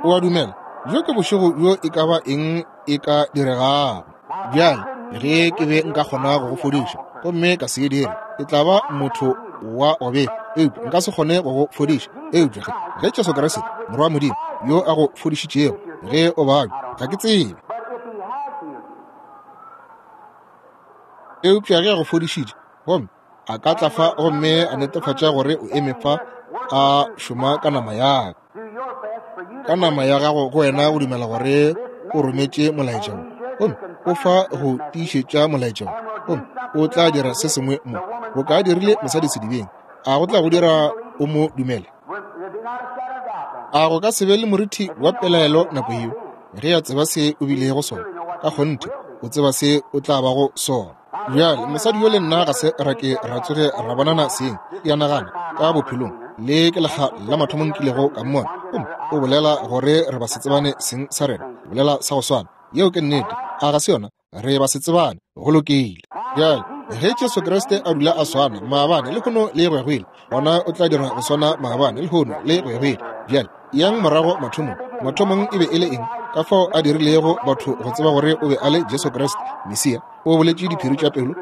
O a dumela, bjo ke bošego bjo e ka ba eng e ka diregago. Bjale, ge ke be nka kgona go go fodiša, gomme ka se e dire, ke tla ba motho wa go befa, eupša nka se kgone go go fodiša, Eupša ge, ge Jesu Kriste, Morwa wa Modimo, yo a go fodišitšego, ge o babja, ga ke tsebe. Eupša ge a go fodišitše, gomme a ka tla fa gomme a netefatša gore o eme fa a šoma ka nama ya ka, ka nama ya gago go wena go dumela gore o rometše molaetša wo, gomme o fa go tiišetša molaetša wo, gomme o tla dira se sengwe mo bo ka dirile mosadi sedibeng, a go tla go dira o mo dumele? A go ka se be le morithi wa pelaelo nako yeo ge a tseba se o bilego sona? Ka kgonthe o tseba se o tla bago sona. Bjale mosadi yo le nna ga se ra ke ra tsoge ra bonana seng, ke a nagana, ka bophelong. Le ke lekga la mathomo nkilego ka mmona, gomme o bolela gore re ba se tsebane seng sa rena, bolela sa go swana. Yeo ke nnete, a ga se yona? Re ba se tsebane, go lokile. Bjale ge Jesu Kriste a dula a swana maabane lehono le go ya go ile, gona o tla dira go swana maabane lehono le go ya go ile. Bjale yang morago mathomong. Mathomong e be e le eng? Ka fao a dirilego batho go tseba gore o be a le Jesu Kriste Mesia, o boletše diphiri tša pelo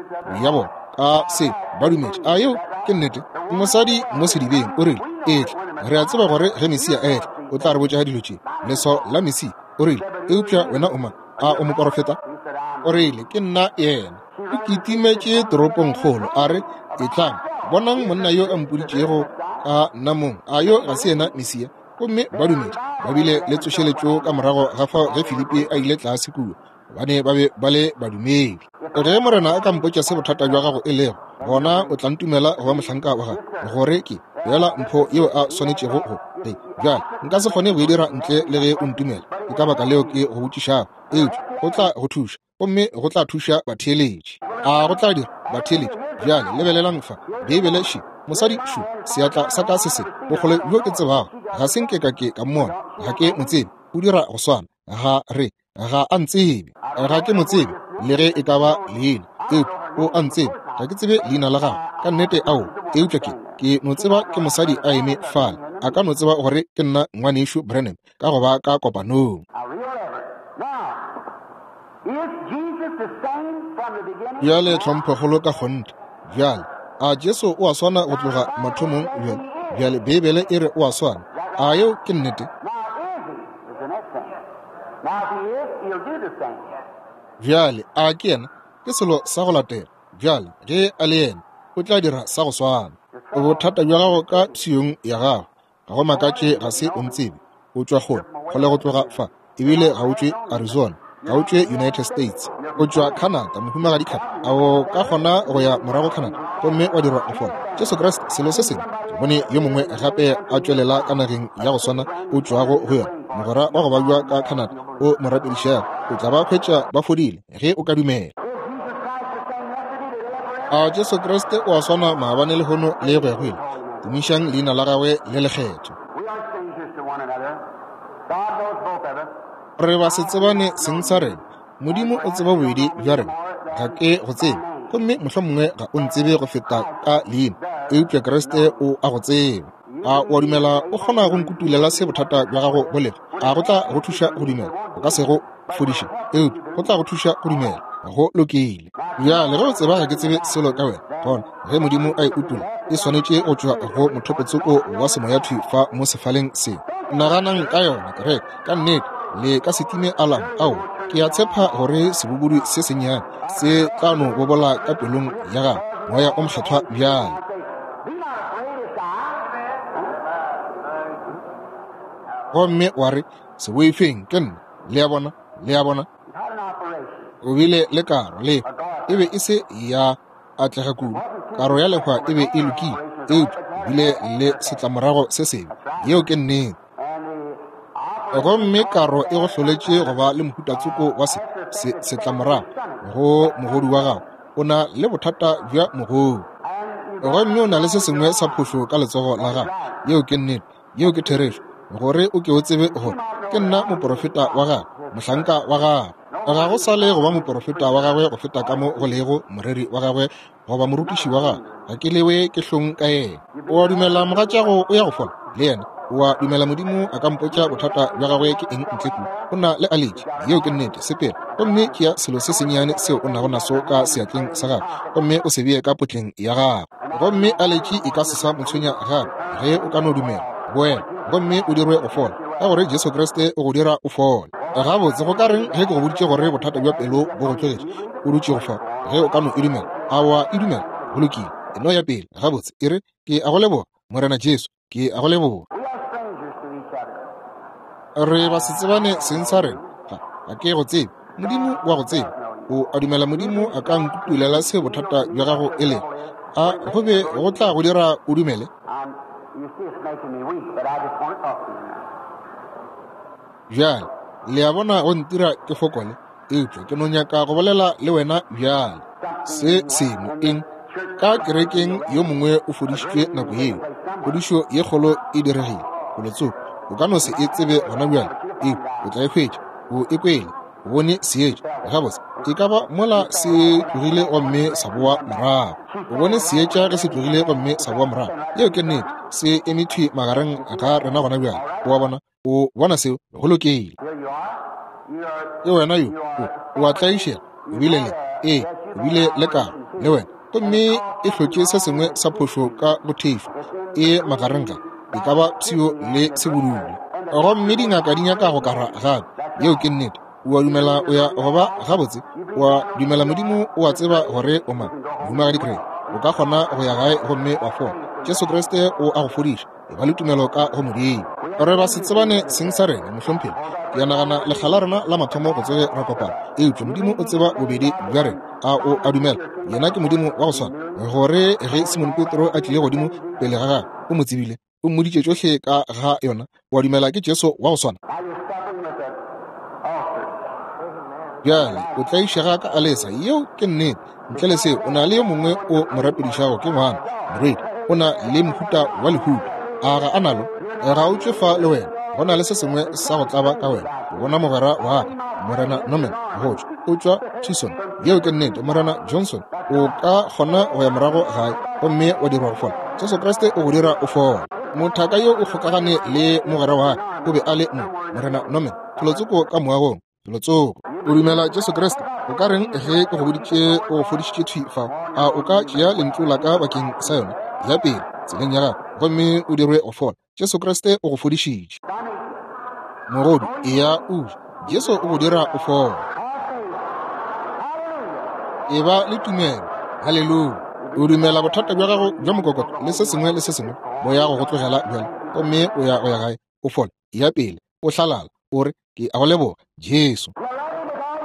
ya bona ka se ba dumetše. A yeo ke nnete? Mosadi mo sedibeng o rile, etla, re a tseba gore ge Mesia a etla o tla re botša dilo tše, leswao la Mesia. O rile, eupša wena o mang? A o moporofeta? O rile, ke nna yena. O kitimetše toropongkgolo a re, etlang, bonang monna yo a mpoditšego ka nna mong. A yo ga se yena Mesia? Gomme ba dumetše. Ba bile le tsošeletšo ka morago ga fao ge Filipi a ile tlase kua, gobane ba be ba le badumedi. Ge Morena a ka mpotša se bothata bja gago e lego, gona o tla ntumela go ba mohlanka wa gagwe, gore ke feela mpho yeo a swanetšego go ge. Bjale nka se kgone go e dira ntle le ge o ntumela, ke ka baka leo ke go botšišago. Eupša go tla go thuša, gomme go tla thuša batheeletši. A go tla dira batheeletši? Bjale lebelelang fa, Beibele še, mosadi šo, seatla sa ka se se, bokgole bjo ke tsebago, ga se nke ka ke ka mmona, ga ke mo tsebe, o dira go swana, ga re, ga a ntsebe, ga ke mo tsebe le ge e ka ba leina, eupša o a ntsebe, ga ke tsebe leina la gagwe ka nnete ao, eupša ke ke no tseba ke mosadi a eme fale, a ka no tseba gore ke nna ngwanešu Branham ka go ba ka kopanong. Bjale tlhomphokgolo ka kgonthe. Bjale a Jesu o a swana go tloga mathomong bjale? Bjale Beibele e re o a swana. A yeo ke nnete? Bjale a ke yena? Ke selo sa go latela. Bjale ge a le yena, o tla dira sa go swana. Bothata bja gago ka pshiong ya gago, ga go makatše ga se o ntsebe. O tšwa kgole, kgole go tloga fa, ebile ga o tšwe Arizona, ga o tšwe United States, o tšwa Canada, mohumagadi Kap. A o ka kgona go ya morago Canada gomme wa dirwa go fola? Jesu Kriste, selo se sengwe. Ke bone yo mongwe gape a tšwelela ka nageng ya go swana o tšwago go yona, mogwera wa go babja ka Canada, o mo rapedišago, o tla ba hwetša ba fodile ge o ka dumela. A Jesu Kriste o a swana maabane lehono le go ya go ile? Tumišang leina la gagwe le lekgethwa. Re ba se tsebane seng sa rena. Modimo o tseba bobedi bja rena. Ga ke go tsebe, gomme mohlomongwe ga o ntsebe go feta ka leina, eupša Kriste o a go tseba. A o a dumela o kgona go nkutulela se bothata bja gago bo lego? A go tla go thuša go dumela? O ka se go fodiše, eupša go tla go thuša go dumela. Go lokile. Bjale ge o tseba ga ke tsebe selo ka wena, gona ge Modimo a e utola, e swanetše go tšwa go mothopotsoko wa semoyathwi fa mo sefaleng se. Naganang ka yona, kereke, ka nnete le ka se time alarm. Ao, ke a tshepa gore sebobodu se sennyane se tla no bobola ka pelong ya gago, Moya o Mokgethwa bjale. Gomme wa re, se boifeng, ke nna. Le a bona, le a bona. O bile le karo lefa, e be e se ya atlega kudu. Karo ya lehwa e be e lokile, eupša o bile le setlamorago se sebe. Yeo ke nnete. Gomme karo e go hloletše go ba le mohutatsoko wa se, se setlamorago go mogodu wa gago. O na le bothata bja mogodu, gomme o na le se sengwe sa phošo ka letsogo la gago. Yeo ke nnete, yeo ke therešo, gore o ke o tsebe gore ke nna moporofeta wa gagwe, mohlanka wa gagwe. Ga go sa le go ba moporofeta wa gagwe go feta ka mo go lego moreri wa gagwe goba morutiši wa gagwe. Ga ke lewe ke hlong ka yena. O a dumela mogatšago o ya go fola le yena? O a dumela Modimo a ka mpotša bothata bja gagwe ke eng ntle kua? O na le aletši. Yeo ke nnete. Sepela gomme tšea selo se sennyane seo o nago naso ka seatleng sa gago, gomme o se bee ka potleng ya gago, gomme aletši e ka se sa mo tshwenya gape ge o ka no dumela. Boela gomme o dirwe go fola, ka gore Jesu Kriste o go dira o fole. Gabotse, go ka reng ge ke go boditše gore bothata bja pelo bo go tlogetše o dutše go fa? Ge o ka no e dumela, a wa e dumela? Go lokile, e no ya pele. Gabotse, e re, ke a go leboga, Morena Jesu, ke a go leboga. Re ba se tsebane seng sa rena, ga ga ke go tsebe. Modimo wa go tseba. O a dumela Modimo a ka nkutulela se bothata bja gago e lego? A go be go tla go dira o dumele? Bjale, le a bona go ntira ke fokole, eupša ke no nyaka go bolela le wena bjale. Se sengwe eng? Ka kerekeng yo mongwe o fodišitšwe nako yeo. Phodišo ye kgolo e diregile. Felotsoko, o ka no se e tsebe gona bjale, eupša o tla e hwetša. O e kwele, o bone seetša. Gabotse, e ka ba mola se tlogile gomme sa boa morago. O bone seetša ge se tlogile gomme sa boa morago. Yeo ke nnete, se eme thwi magareng ga rena gona bjale. O a bona? O bona seo? Go lokile. Ke wena yo, o, o a tlaišega, o bile le, ee, o bile le karo, le wena. Gomme e hlotše se sengwe sa phošo ka go thefo, e magareng ga, e ka ba pshio le sebudule. Gomme dingaka di nyaka go kara gape. Yeo ke nnete. O a dumela o ya go ba gabotse? O a dumela Modimo o a tseba gore o mang? Mohumagadi Craig, o ka kgona go ya gae gomme wa fola. Jesu Kriste o a go fodiša. E ba le tumelo ka go Modimo. Re ba se tsebane seng sa rena, mohlomphegi. Ke a nagana lekga la rena la mathomo go tsebe ra kopana, eupša Modimo o tseba bobedi bja rena. A o a dumela? Yena ke Modimo wa go swana. Gore ge Simon Petro a tlile godimo pele ga gagwe, o mo tsebile, o mmoditše tšohle ka ga yona. O a dumela ke Jesu wa go swana? Bjale o tlaišega ka alesa. Yeo ke nnete. Ntle le seo, o na le yo mongwe o mo rapedišago, ke ngwana morwedi. O na le mohuta wa lehuto. A ga a nalo? Ga o tšwe fa le wena. Go na le se sengwe sa go tlaba ka wena. O bona mogwera wa ka, Morena Norman, go tšwa. O tšwa Tucson. Yeo ke nnete, Morena Johnson. O ka kgona go ya morago gae gomme wa dirwa go fola. Jesu Kriste o go dira o fola. Mothaka yo o kgokagane le mogwera wa ka, o be a le mo, Morena Norman, felotsoko ka moagong. Felotsoko. O dumela Jesu Kriste? O ka reng ge ke go boditše o go fodišitše thwi fao? A o ka tšea lentšu la ka bakeng sa yona? Ya pele tseleng ya gago gomme o dirwe go fola. Jesu Kriste o go fodišitše. Mogodu, eya o je. Jesu o go dira o fola. E ba le tumelo. Haleluya. O dumela bothata bja gago bja mokokotlo le se sengwe le se sengwe bo ya go go tlogela bjale, gomme o ya go ya gae o fola. Ya pele o hlalala, o re, ke a go leboga Jesu.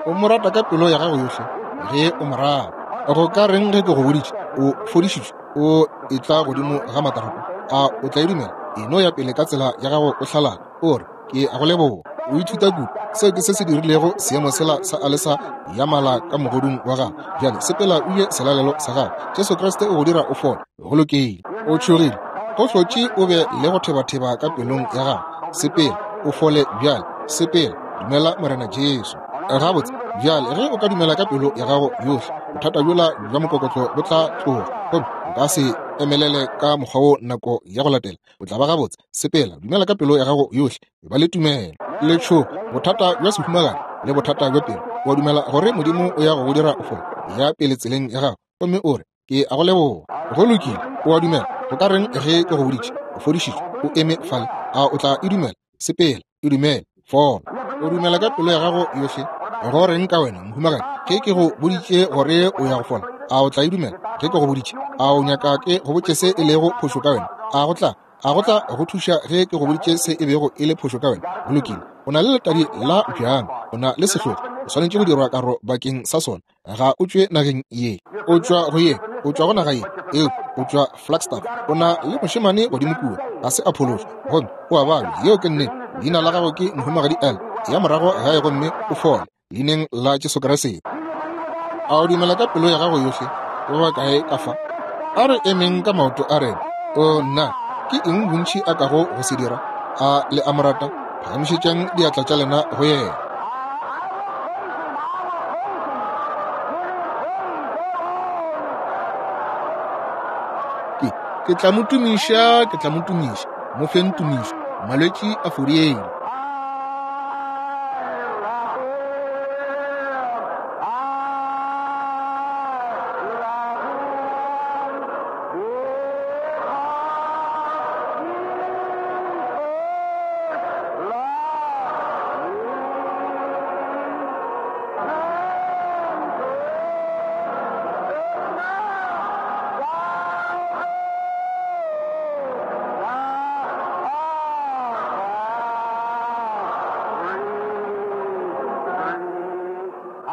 O mo rata ka pelo ya gago yohle ge o mo rata. Go ka reng ge ke go boditše o fodišitšwe o etla godimo ga matarapo? A o tla e dumela? E no ya pele ka tsela ya gago o hlalala, o re, ke a go leboga. O ithuta kudu. Seo ke se se dirilego seemo sela sa alesa ya mala ka mogodung wa gago. Bjale sepela o je selalelo sa gago. Jesu Kriste o go dira o fole. Go lokile. O tšhogile. Go hlotše o be le go thebatheba ka pelong ya gago. Sepela o fole bjale. Sepela. Dumela Morena Jesu. Gabotse, bjale ge o ka dumela ka pelo ya gago yohle, bothata bjola bja mokokotlo bo tla tloga, gomme o ka se emelele ka mokgwa wo nako ya go latela. O tla ba gabotse. Sepela, dumela ka pelo ya gago yohle, e ba le tumelo. Letšhogo, bothata bja sehumagadi le bothata bja pelo. O a dumela gore Modimo o ya go go dira o fole? Ya pele tseleng ya gago gomme o re, ke a go leboga. Go lokile. O a dumela? Go ka reng ge ke go boditše o fodišitšwe o eme fale? A o tla e dumela? Sepela, e dumele, fola. O dumela ka pelo ya gago yohle? Go reng ka wena, mohumagadi? Ge ke go boditše gore o ya go fola, a o tla e dumela? Ge ke go boditše, a o nyaka ke go botše se e lego phošo ka wena? A go tla, a go tla go thuša ge ke go boditše se e bego e le phošo ka wena? Go lokile. O na le letadi la bjang, o na le sehlogo, o swanetše go dirwa karo bakeng sa sona. Ga o tšwe nageng ye, o tšwa go ye, o tšwa go naga ye, eupša o tšwa Flagstaff. O na le mošemane godimo kua, ga se a phološwa, gomme o a babja. Yeo ke nnete. Leina la gago ke Mohumagadi L. Ya morago gae gomme o fole, leineng la Jesu Kriste. A o dumela ka pelo ya gago yohle? Ba bakae ka fa? A re emeng ka maoto a rena. O nna, ke eng bontši a kago go se dira? A le a mo rata? Phagamišetšang diatla tša lena go yena. Ke, ke tla mo tumiša, ke tla mo tumiša. Mo feng tumišo. Malwetši a fodiile.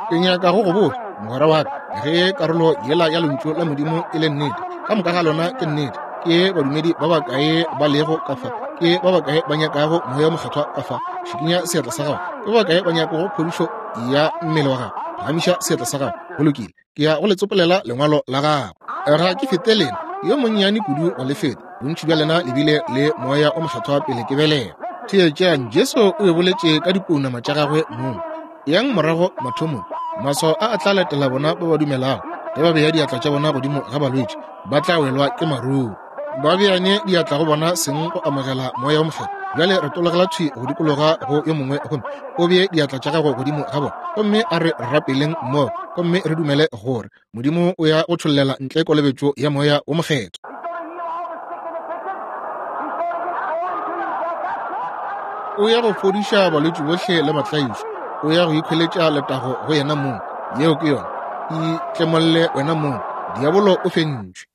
Ke nyaka go go botša, mogwera wa ka, ge karolo yela ya lentšu la Modimo e le nnete, ka moka ga lona ke nnete. Ke badumedi ba bakae ba lego ka fa? Ke ba bakae ba nyakago Moya wo Mokgethwa ka fa? Šikinya seatla sa gago. Ke ba bakae ba nyakago phodišo ya mmele wa gago? Phagamiša seatla sa gago. Go lokile, ke ya go le tsopolela lengwalo la gago. Ga ke fete lena, yo monnyane kudu go le feta. Bontši bja lena le bile le Moya o Mokgethwa pele ke belega. Theetšang, Jesu o e boletše ka dipounama tša gagwe mong. Yang morago mathomong, maswao a a tla latela bona ba ba dumelago. Ge ba bea diatla tša bona godimo ga balwetši, ba tla welwa ke maruru. Ba beane diatla go bona seng go amogela Moya wo Mokgethwa. Bjale re tologela thwi go dikologa go yo mongwe, gomme o bee diatla tša gago godimo ga bona, gomme a re rapeleng mmogo, gomme re dumele gore Modimo o ya go tšhollela ntle kolobetšo ya Moya wo Mokgethwa. O ya go fodiša balwetši bohle le batlaišwa. O ya go ikhweletša letago go yena mong. Yeo ke yona. Itlemolle wena mong. Diabolo o fentšwe.